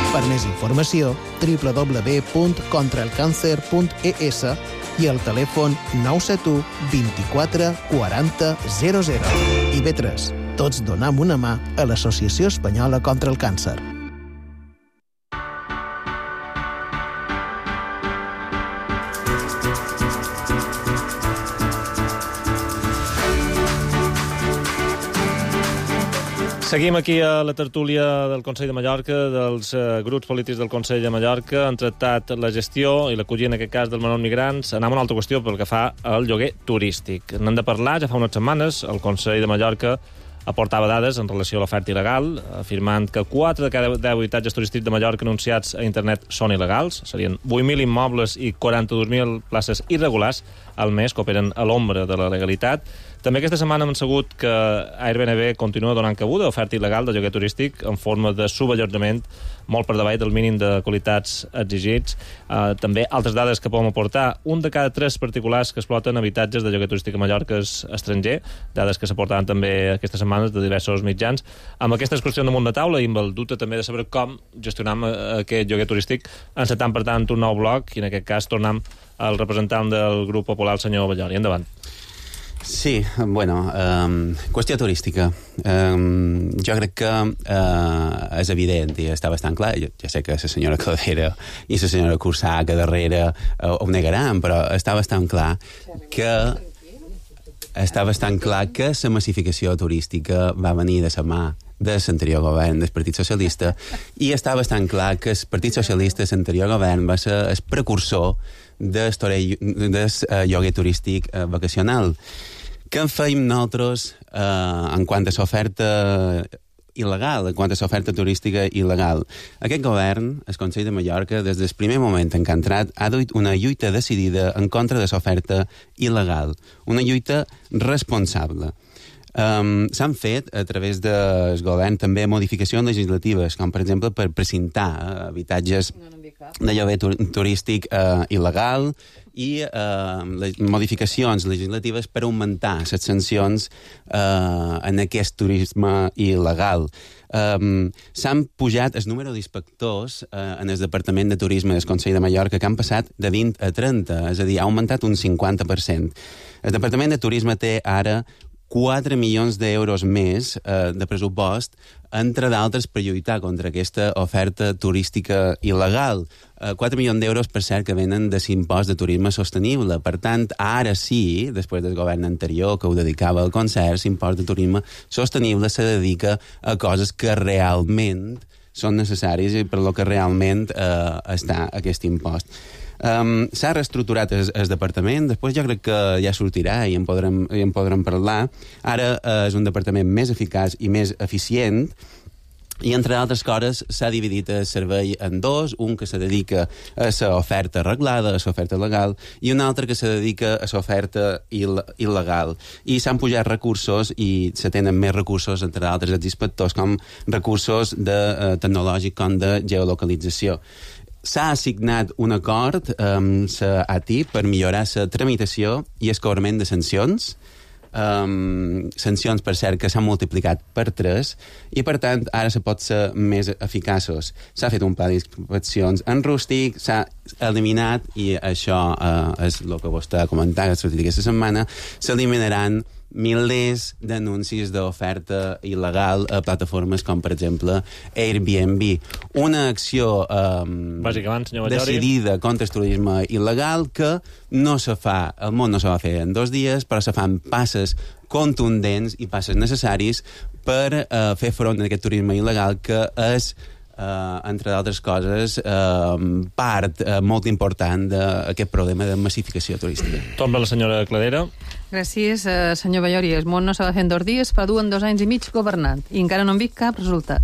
Per més informació, w w w punt contra el càncer punt e s i el telèfon nou set u vint-i-quatre quaranta zero zero. I V tres. Tots donam una mà a l'Associació Espanyola contra el Càncer. Seguim aquí a la tertúlia del Consell de Mallorca, dels eh, grups polítics del Consell de Mallorca. Han tractat la gestió i l'acollida, en aquest cas, dels menors migrants. Anem a una altra qüestió pel que fa al lloguer turístic. N'hem de parlar, ja fa unes setmanes, el Consell de Mallorca aportava dades en relació a l'oferta il·legal, afirmant que quatre de cada deu habitatges turístics de Mallorca anunciats a internet són il·legals. Serien vuit mil immobles i quaranta-dos mil places irregulars al mes que operen a l'ombra de la legalitat. També aquesta setmana hem sabut que Airbnb continua donant cabuda a oferta il·legal de lloguer turístic en forma de suballotjament molt per davall del mínim de qualitats exigits. Uh, també altres dades que podem aportar. Un de cada tres particulars que exploten habitatges de lloguer turístic a Mallorca és estranger, dades que s'aportaven també aquestes setmanes de diversos mitjans. Amb aquestes qüestions damunt la taula i amb el dubte també de saber com gestionam aquest lloguer turístic, encetam per tant un nou bloc i en aquest cas tornem al representant del grup popular, el senyor Ballori. Endavant. Sí, bueno, um, qüestió turística. Um, jo crec que uh, és evident i està bastant clar. Jo, jo sé que la senyora Cladera i la senyora Cursà que darrere uh, ho negaran, però està bastant clar que està bastant clar que la massificació turística va venir de la mà de l'anterior govern del Partit Socialista i està bastant clar que el Partit Socialista, l'anterior govern, va ser el precursor del lloguer turístic eh, vacacional. Què en feim nosaltres eh, en quant a l'oferta il·legal, en quant a l'oferta turística il·legal? Aquest govern, el Consell de Mallorca, des del primer moment en què ha entrat, ha duit una lluita decidida en contra de l'oferta il·legal, una lluita responsable. Um, s'han fet a través del govern també modificacions legislatives, com per exemple per precintar uh, habitatges de lloguer tur turístic uh, il·legal i uh, les modificacions legislatives per augmentar les sancions uh, en aquest turisme il·legal. Um, s'han pujat el número d'inspectors uh, en el Departament de Turisme del Consell de Mallorca, que han passat de vint a trenta, és a dir, ha augmentat un cinquanta per cent. El Departament de Turisme té ara quatre milions d'euros més eh, de pressupost, entre d'altres, per lluitar contra aquesta oferta turística il·legal. Eh, quatre milions d'euros, per cert, que venen de l'impost de turisme sostenible. Per tant, ara sí, després del govern anterior que ho dedicava al concert, l'impost de turisme sostenible se dedica a coses que realment són necessaris i per lo que realment eh, està aquest impost. Um, s'ha reestructurat el, el departament, després jo crec que ja sortirà i en podrem, i en podrem parlar. Ara uh, és un departament més eficaç i més eficient, i entre altres coses s'ha dividit el servei en dos, un que se dedica a l'oferta arreglada, a l'oferta legal, i un altre que se dedica a l'oferta il il·legal. I s'han pujat recursos i se tenen més recursos, entre altres els inspectors, com recursos de, uh, tecnològics com de geolocalització. S'ha assignat un acord amb la A T I per millorar la tramitació i el cobrament de sancions, um, sancions, per cert, que s'han multiplicat per tres, i, per tant, ara se pot ser més eficaços. S'ha fet un pla d'inspeccions en rústic, s'ha eliminat, i això uh, és el que vostè ha comentat, que ha sortit aquesta setmana, s'eliminaran milers d'anuncis d'oferta il·legal a plataformes com, per exemple, Airbnb. Una acció um, decidida contra el turisme il·legal que no se fa, el món no se va fer en dos dies, però se fan passes contundents i passes necessaris per uh, fer front a aquest turisme il·legal que és Uh, entre d'altres coses, uh, part uh, molt important d'aquest problema de massificació turística. Torna la senyora Cladera. Gràcies, uh, senyor Ballori. El món no s'ha de fer en dos dies, però duen dos anys i mig governant, i encara no hem vist cap resultat.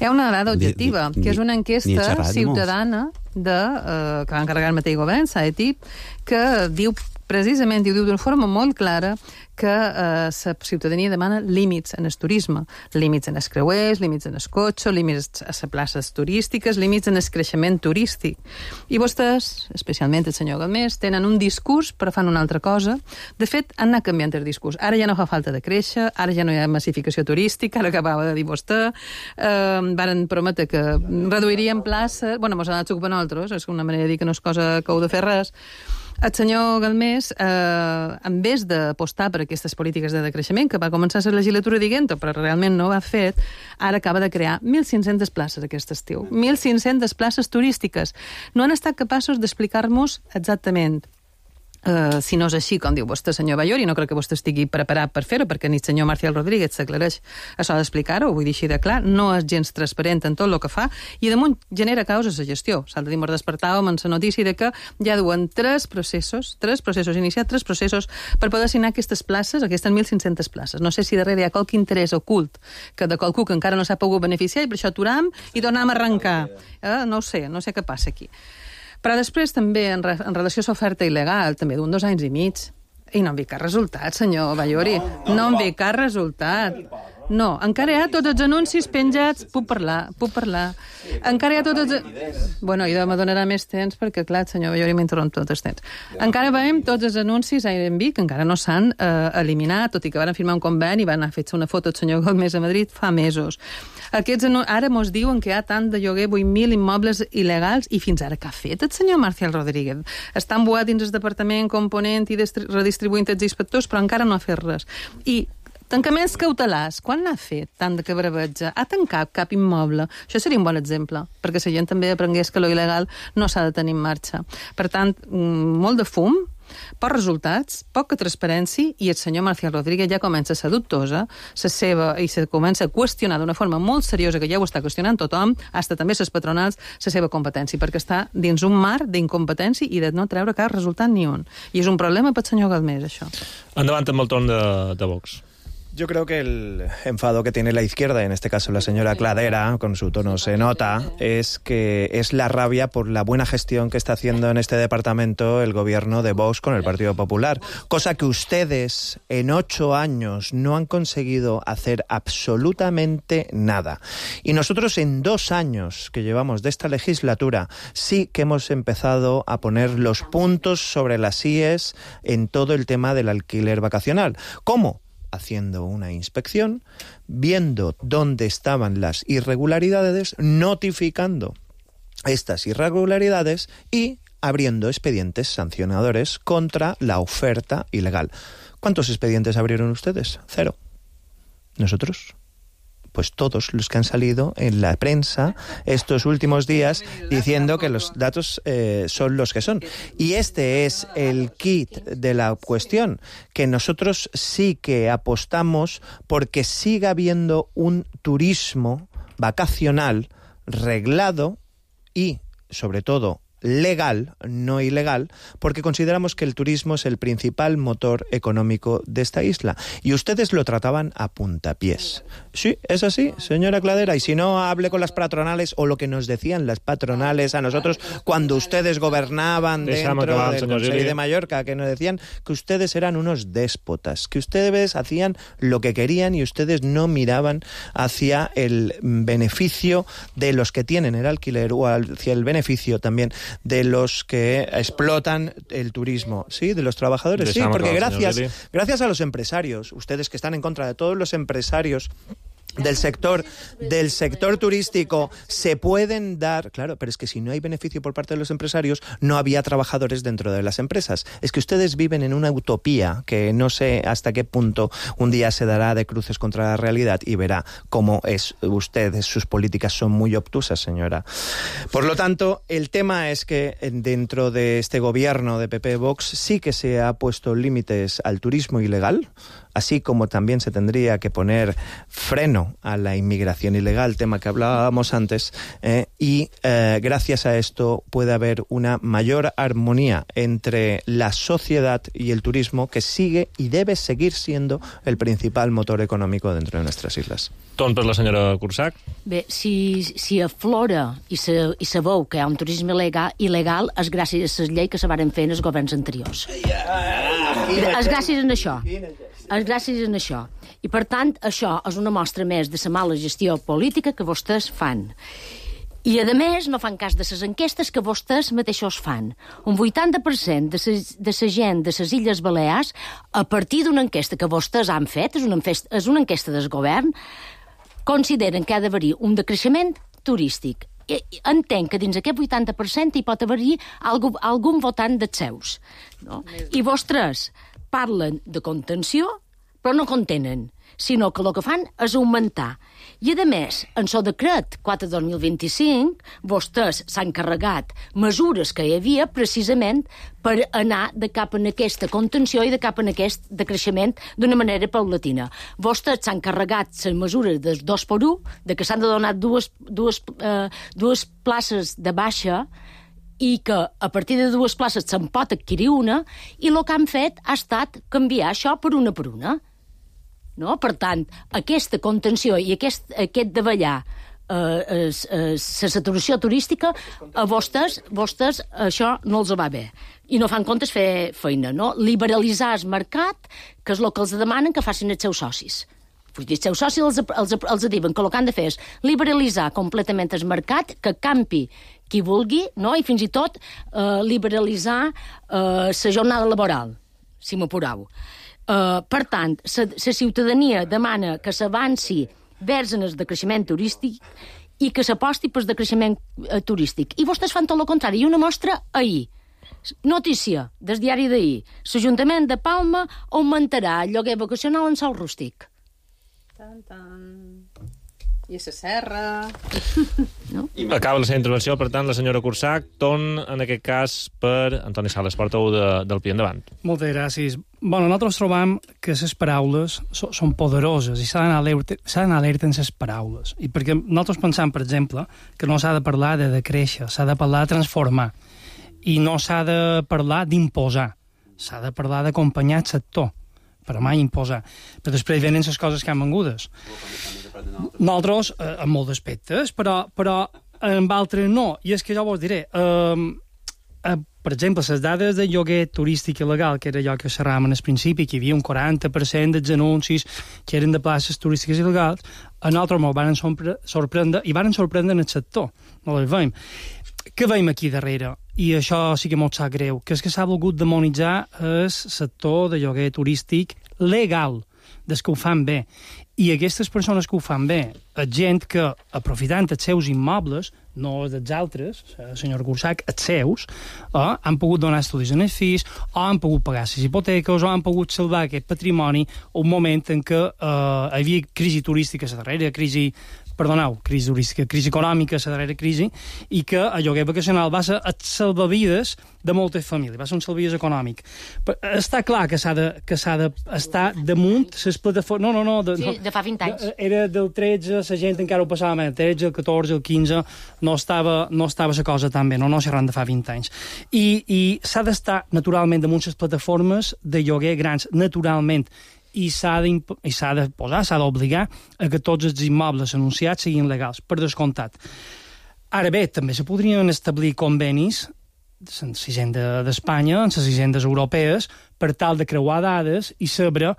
Hi ha una dada objectiva, ni, ni, que és una enquesta ciutadana de, uh, que va encarregar el mateix govern, S A E T I P, que diu precisament, i ho diu d'una forma molt clara, que la eh, ciutadania demana límits en el turisme, límits en els creuers, límits en el cotxe, límits a les places turístiques, límits en el creixement turístic. I vostès, especialment el senyor Galmés, tenen un discurs però fan una altra cosa. De fet, han anat canviant el discurs. Ara ja no fa falta de créixer, ara ja no hi ha massificació turística, ara acabava de dir vostè, eh, varen prometre que reduirien places, bueno, mos han anat ocupant nosaltres, és una manera de dir que no és cosa que heu de fer res. El senyor Galmés, eh, en vez d'apostar per aquestes polítiques de decreixement, que va començar la legislatura dient-ho, però realment no ho ha fet, ara acaba de crear mil cinc-centes places aquest estiu. mil cinc-centes places turístiques. No han estat capaços d'explicar-nos exactament Uh, si no és així, com diu vostè, senyor Ballori, no crec que vostè estigui preparat per fer-ho, perquè ni el senyor Marcial Rodríguez s'aclareix això d'explicar-ho, vull dir així de clar, no és gens transparent en tot el que fa, i damunt genera causes de gestió. S'ha de dir, ens despertàvem en la notícia de que ja duen tres processos, tres processos iniciats, tres processos per poder assignar aquestes places, aquestes mil cinc-centes places. No sé si darrere hi ha qualque interès ocult que de qualcú que encara no s'ha pogut beneficiar i per això aturam i tornem a arrencar. Eh? No ho sé, no sé què passa aquí. Però després també, en, re, en relació a l'oferta il·legal, també d'un dos anys i mig, i no en vi cap resultat, senyor Ballori. No, no en vi cap resultat. No, encara hi ha tots els anuncis penjats... Puc parlar, puc parlar. Encara hi ha tots els... Bueno, i me donarà més temps perquè, clar, el senyor Ballori m'interromp tot el temps. Encara veiem tots els anuncis a Airbnb que encara no s'han eh, eliminat, tot i que van firmar un conveni i van anar a fer una foto del senyor Galmés a Madrid fa mesos. Aquests ara mos diuen que hi ha tant de lloguer, vuit mil immobles il·legals, i fins ara què ha fet el senyor Marcial Rodríguez? Està embuat dins el departament component i redistribuint els inspectors, però encara no ha fet res. I tancaments cautelars, quan n'ha fet tant de cabravetja? Ha tancat cap immoble? Això seria un bon exemple, perquè la gent també aprengués que lo il·legal no s'ha de tenir en marxa. Per tant, molt de fum, pocs resultats, poca transparència, i el senyor Marcial Rodríguez ja comença a ser dubtosa, la seva, i se comença a qüestionar d'una forma molt seriosa, que ja ho està qüestionant tothom, hasta també les patronals, la seva competència, perquè està dins un mar d'incompetència i de no treure cap resultat ni un. I és un problema pel senyor Galmés, això. Endavant amb el torn de, de Vox. Yo creo que el enfado que tiene la izquierda, en este caso la señora Cladera, con su tono se nota, es que es la rabia por la buena gestión que está haciendo en este departamento el gobierno de Vox con el Partido Popular, cosa que ustedes en ocho años no han conseguido hacer absolutamente nada. Y nosotros en dos años que llevamos de esta legislatura sí que hemos empezado a poner los puntos sobre las íes en todo el tema del alquiler vacacional. ¿Cómo? Haciendo una inspección, viendo dónde estaban las irregularidades, notificando estas irregularidades y abriendo expedientes sancionadores contra la oferta ilegal. ¿Cuántos expedientes abrieron ustedes? Cero. ¿Nosotros? Pues todos los que han salido en la prensa estos últimos días diciendo que los datos eh, son los que son. Y este es el kit de la cuestión, que nosotros sí que apostamos porque siga habiendo un turismo vacacional reglado y, sobre todo, legal, no ilegal, porque consideramos que el turismo es el principal motor económico de esta isla. Y ustedes lo trataban a puntapiés. Sí, es así, señora Cladera. Y si no, hable con las patronales o lo que nos decían las patronales a nosotros cuando ustedes gobernaban dentro del Consell de Mallorca, que nos decían que ustedes eran unos déspotas, que ustedes hacían lo que querían y ustedes no miraban hacia el beneficio de los que tienen el alquiler o hacia el beneficio también de los que explotan el turismo, ¿sí? De los trabajadores, sí, porque gracias, gracias a los empresarios, ustedes que están en contra de todos los empresarios del sector del sector turístico, se pueden dar, claro, pero es que si no hay beneficio por parte de los empresarios, no había trabajadores dentro de las empresas. Es que ustedes viven en una utopía que no sé hasta qué punto un día se dará de cruces contra la realidad y verá cómo es ustedes, sus políticas son muy obtusas, señora. Por lo tanto, el tema es que dentro de este gobierno de P P Vox sí que se ha puesto límites al turismo ilegal, así como también se tendría que poner freno a la inmigración ilegal, tema que hablábamos antes, eh, y eh, gracias a esto puede haber una mayor armonía entre la sociedad y el turismo, que sigue y debe seguir siendo el principal motor económico dentro de nuestras islas. Torn per la senyora Cursac. Bé, si, si aflora i se, i se veu que hi ha un turisme il·legal, il·legal és gràcies a les lleis que se varen fer en els governs anteriors. És gràcies a això. És gràcies a això. I, per tant, això és una mostra més de la mala gestió política que vostès fan. I, a més, no fan cas de les enquestes que vostès mateixos fan. Un vuitanta per cent de la gent de les Illes Balears, a partir d'una enquesta que vostès han fet, és una enquesta, és una enquesta del govern, consideren que ha d'haver-hi un decreixement turístic. I entenc que dins aquest vuitanta per cent hi pot haver-hi algun, algun votant dels seus. No? I vostès parlen de contenció, però no contenen, sinó que el que fan és augmentar. I, a més, en el decret quatre dos mil vint-i-cinc, vostès s'han carregat mesures que hi havia precisament per anar de cap en aquesta contenció i de cap en aquest decreixement d'una manera paulatina. Vostès s'han carregat les mesures del dos per u, de que s'han de donar dues, dues, eh, dues places de baixa i que a partir de dues places se'n pot adquirir una, i el que han fet ha estat canviar això per una per una. No? Per tant, aquesta contenció i aquest, aquest davallar eh, la saturació turística, a vostès, vostès això no els va bé. I no fan comptes fer feina, no? Liberalitzar el mercat, que és el que els demanen que facin els seus socis. Vull dir, els seus socis els, els, els diuen que el que han de fer és liberalitzar completament el mercat, que campi qui vulgui, no? I fins i tot eh, liberalitzar eh, la jornada laboral, si m'apurau. Uh, per tant, la ciutadania demana que s'avanci vers el decreixement turístic i que s'aposti per el decreixement uh, turístic. I vostès fan tot el contrari. I una mostra ahir. Notícia del diari d'ahir. L'Ajuntament de Palma augmentarà el lloguer vacacional en sòl rústic. Tan, tan. I a la serra... No? Acaba la seva intervenció, per tant, la senyora Cursac. Torn, en aquest cas, per Antoni Sales, portaveu de, del P I Endavant. Moltes gràcies. Bueno, nosaltres trobam que les paraules so, són poderoses i s'ha d'anar alerta, alerta en les paraules. I perquè nosaltres pensam, per exemple, que no s'ha de parlar de decréixer, s'ha de parlar de transformar. I no s'ha de parlar d'imposar. S'ha de parlar d'acompanyar el sector, però mai imposar. Però després venen les coses que han vengudes. Nosaltres, eh, en molts aspectes, però, però en altres no. I és que jo vos diré, eh, eh, per exemple, les dades de lloguer turístic il·legal, que era allò que xerràvem al principi, que hi havia un quaranta per cent dels anuncis que eren de places turístiques il·legals, a nosaltres ens van sorprendre, i van sorprendre en el sector. No les veiem. Què veiem aquí darrere? I això sí que molt sap greu, que és que s'ha volgut demonitzar el sector de lloguer turístic legal. des que ho fan bé. I aquestes persones que ho fan bé, és gent que, aprofitant els seus immobles, no els dels altres, senyor Cursac, els seus, eh, han pogut donar estudis en els fills, o han pogut pagar les hipoteques, o han pogut salvar aquest patrimoni un moment en què eh, hi havia crisi turística, la darrera crisi perdoneu, crisi turística, crisi econòmica, la darrera crisi, i que el lloguer vacacional va ser el salvavides de moltes famílies, va ser un salvavides econòmic. Però està clar que s'ha de, que s'ha d'estar damunt les plataformes... No, no, no. De, sí, de fa vint anys. Era del tretze, la gent encara ho passava més, el tretze, el catorze, el quinze, no estava, no estava la cosa tan bé, no, no xerrant de fa vint anys. I, i s'ha d'estar, naturalment, damunt les plataformes de lloguer grans, naturalment, i s'ha de, de posar, s'ha d'obligar a que tots els immobles anunciats siguin legals, per descomptat. Ara bé, també se podrien establir convenis en la hisenda d'Espanya, en les hisendes europees, per tal de creuar dades i saber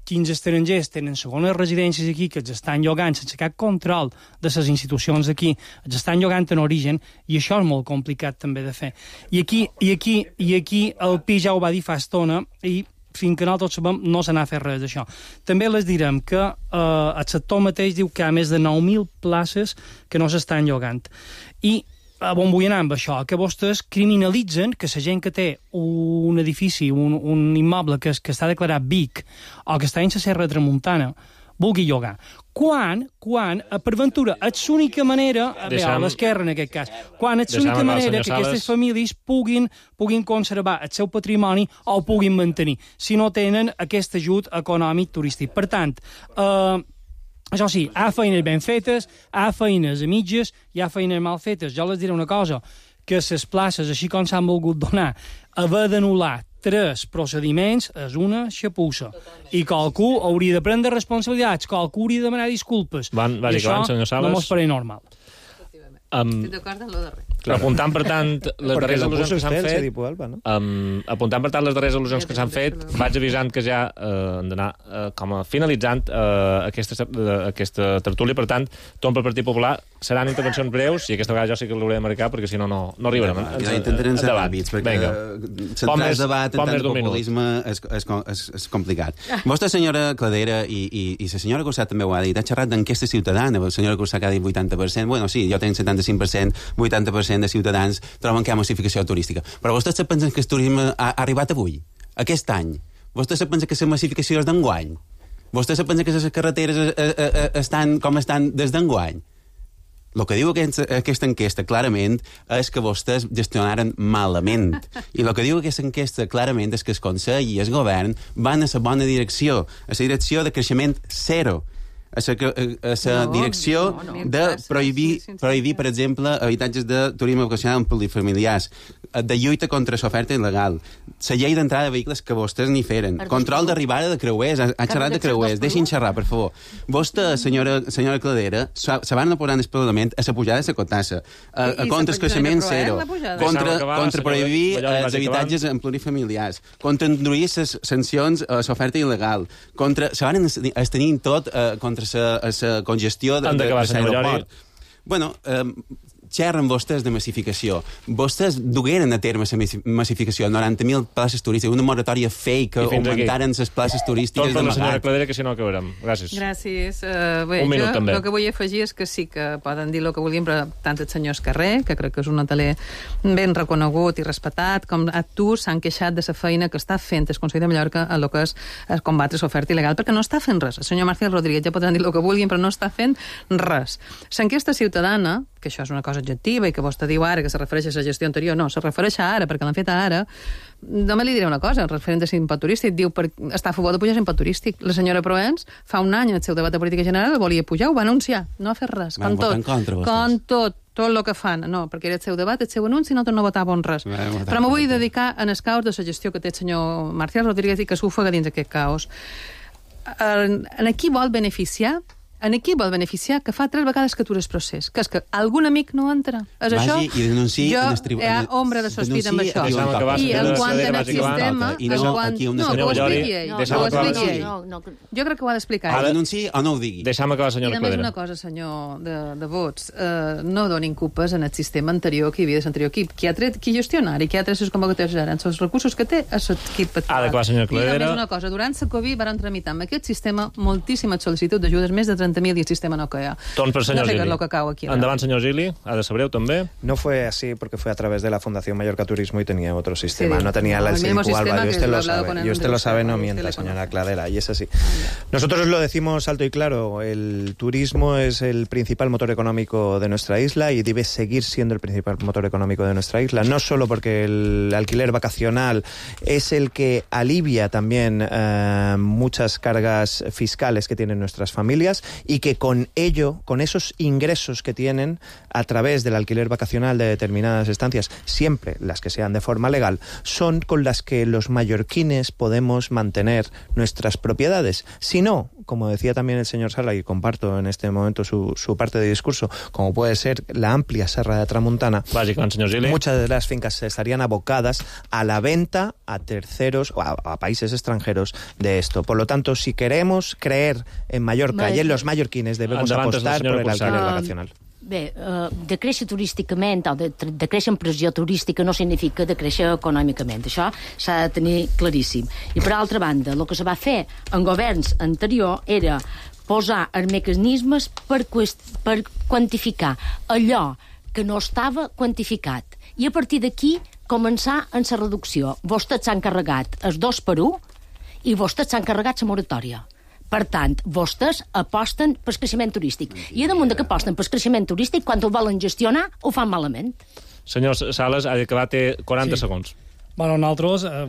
quins estrangers tenen segones residències aquí que els estan llogant sense cap control de les institucions d'aquí, els estan llogant en origen, i això és molt complicat també de fer. I aquí, i aquí, i aquí el Pi ja ho va dir fa estona, i fins que nosaltres sabem, no se n'ha fet res d'això. També les direm que eh, el sector mateix diu que hi ha més de nou mil places que no s'estan llogant. I a on vull anar amb això? Que vostès criminalitzen que la gent que té un edifici, un, un immoble que, que està declarat B I C o que està en la Serra Tramuntana, vulgui llogar. Quan, quan, per ventura, és l'única manera, bé, a l'esquerra en aquest cas, quan és l'única manera que aquestes famílies puguin, puguin conservar el seu patrimoni o ho puguin mantenir, si no tenen aquest ajut econòmic turístic. Per tant, eh, això sí, hi ha feines ben fetes, hi ha feines a mitges, hi ha feines mal fetes. Jo les diré una cosa, que les places, així com s'han volgut donar, haver d'anul·lar tres procediments és una xapussa. I qualcú hauria de prendre responsabilitats, qualcú hauria de demanar disculpes. Van, I això no mos pareix normal. Um, Estic d'acord en lo darrer. Apuntant, per tant, les darreres al·lusions que s'han fet... Alba, no? um, apuntant, per tant, les darreres al·lusions que s'han fet, vaig avisant que ja uh, han d'anar uh, com a finalitzant uh, aquesta, uh, aquesta tertúlia. Per tant, tot pel Partit Popular seran intervencions breus, i aquesta vegada jo sí que l'hauré de marcar, perquè si no, no, no arribarem. Ja, ja intentarem ser ràpids, perquè centrar el debat en tant de populisme és, és, és, és complicat. Vostè, senyora Cladera, i, i, i la senyora Cursat també ho ha dit, ha xerrat d'enquesta ciutadana. La senyora Cursat ha dit vuitanta per cent. Bueno, sí, jo tenc setanta-cinc per cent, vuitanta per cent de ciutadans troben que hi ha massificació turística. Però vostès se pensen que el turisme ha, ha arribat avui, aquest any? Vostès se pensen que la massificació és d'enguany? Vostès se pensen que les carreteres eh, eh, estan com estan des d'enguany? El que diu aquesta, aquesta enquesta clarament és que vostès gestionaren malament. I el que diu aquesta enquesta clarament és que el Consell i el Govern van a la bona direcció, a la direcció de creixement zero, a la no, direcció no, no. de prohibir, prohibir, per exemple, habitatges de turisme vocacional en plurifamiliars, de lluita contra l'oferta il·legal, la llei d'entrada de vehicles que vostès ni feren, control d'arribada de creuers, ha, ha xerrat de creuers, deixin xerrar, per favor. Vostè, senyora, senyora Cladera, se van posar en el Parlament a la pujada de la cotassa, a, a contra el creixement zero, contra, contra prohibir els habitatges en plurifamiliars, contra introduir les sancions a l'oferta il·legal, contra, se van estenir tot eh, contra la congestió de, de, de l'aeroport. Bueno, eh, xerren vostès de massificació. Vostès dugueren a terme la massificació, noranta mil places turístiques, una moratòria fake que augmentaren les places turístiques d'amagat. Tot per la senyora Cladera, que si no acabarem. Gràcies. Gràcies. Uh, bé, Un minut, jo, també. El que vull afegir és que sí que poden dir el que vulguin, però tant el senyor Escarrer, que crec que és un hoteler ben reconegut i respectat, com a tu s'han queixat de la feina que està fent el Consell de Mallorca a lo que és combatre l'oferta il·legal, perquè no està fent res. El senyor Marcial Rodríguez ja poden dir el que vulguin, però no està fent res. L'enquesta ciutadana, que això és una cosa objectiva i que vostè diu ara que se refereix a la gestió anterior, no, se refereix a ara, perquè l'han fet ara. Només li diré una cosa, referent a l'impost turístic, diu per, està a favor de pujar l'impost turístic. La senyora Proens, fa un any, en el seu debat de política general, el volia pujar, ho va anunciar, no ha fet res, com tot, contra, com tot, tot el que fan. No, perquè era el seu debat, el seu anunci, no, no votàvem res. Però me vull dedicar en el caos de la gestió que té el senyor Marcial Rodríguez i que s'ofega dins aquest caos. En, en qui vol beneficiar en qui vol beneficiar que fa tres vegades que atures procés? Que és que algun amic no entra? És Vagi això? i denunciï jo en el tribunal. Hi ha ombra de sospita amb això. I en quant en el sistema... I no, aquí no, que ho expliqui ell. No, ho expliqui ell. no, no, Jo crec que ho ha d'explicar O ell. denunciï o no ho digui. Deixa'm acabar, I senyora a més Cladera. una cosa, senyor de, de vots, eh, no donin culpes en el sistema anterior que hi havia de l'anterior equip. Qui ha tret, qui gestionari, qui ha tret les convocatòries ara, en els recursos que té, és l'equip actual. Ha d'acabar, senyora Cladera. I només una cosa, durant la Covid van tramitar amb aquest sistema moltíssimes sol·licituds d'ajudes, més de trenta mil, i el sistema no caia. Torn per senyor no Gili. Lo que cau aquí, Endavant, senyor Gili. Ha de ser breu, també. No fue así porque fue a través de la Fundación Mallorca Turismo y tenía otro sistema. Sí, no tenía no, el el mismo Silicu Alba. sistema Y usted que lo lo he hablado sabe. con el Y usted lo Andrés sabe, Serra, no y usted mienta, le señora conoce. Cladera. Y es así. Nosotros lo decimos alto y claro. El turismo es el principal motor económico de nuestra isla y debe seguir siendo el principal motor económico de nuestra isla. No solo porque el alquiler vacacional es el que alivia también eh, muchas cargas fiscales que tienen nuestras familias y que con ello, con esos ingresos que tienen a través del alquiler vacacional de determinadas estancias, siempre las que sean de forma legal, son con las que los mallorquines podemos mantener nuestras propiedades. Si no, como decía también el señor Sala, y comparto en este momento su, su parte de discurso, como puede ser la amplia Serra de Tramuntana, Bàsicament, señor Gili. muchas de las fincas estarían abocadas a la venta a terceros o a, a países extranjeros de esto. Por lo tanto, si queremos creer en Mallorca Vale. y en los mallorquines, debemos Endavant, apostar senyora por el Cursal. alquiler Um, vacacional. Bé, uh, de créixer turísticament o de, de créixer en pressió turística no significa de créixer econòmicament. Això s'ha de tenir claríssim. I per altra banda, el que se va fer en governs anterior era posar els mecanismes per, per quantificar allò que no estava quantificat. I a partir d'aquí començar en la reducció. Vostès s'han carregat els dos per un i vostès s'han carregat la moratòria. Per tant, vostès aposten pel creixement turístic. I a damunt de que aposten pel creixement turístic, quan ho volen gestionar, ho fan malament. Senyor Sales, ha d'acabar, té quaranta Sí. segons. Bueno, nosaltres eh,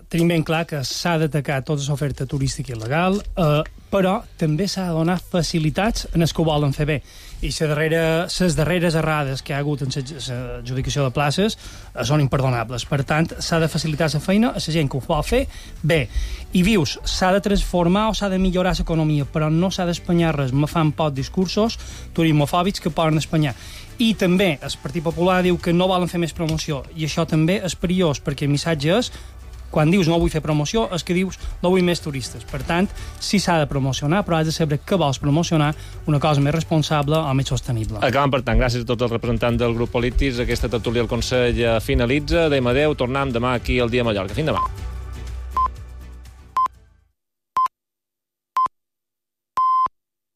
tenim ben clar que s'ha d'atacar tota l'oferta turística il·legal, eh, però també s'ha de donar facilitats en els que ho volen fer bé. I les darreres, les darreres errades que hi ha hagut en l'adjudicació de places eh, són imperdonables. Per tant, s'ha de facilitar la feina a la gent que ho vol fer bé. I vius, s'ha de transformar o s'ha de millorar l'economia, però no s'ha d'espanyar res. Me fan pocs discursos turismofòbics que poden espanyar. I també el Partit Popular diu que no volen fer més promoció, i això també és perillós, perquè el missatge és, quan dius no vull fer promoció, és que dius no vull més turistes. Per tant, sí s'ha de promocionar, però has de saber què vols promocionar, una cosa més responsable o més sostenible. Acabem, per tant, gràcies a tots els representants del grup polítics. Aquesta tertúlia al Consell finalitza. Adéu, adéu. Tornem demà aquí al Dia Mallorca. Fins demà.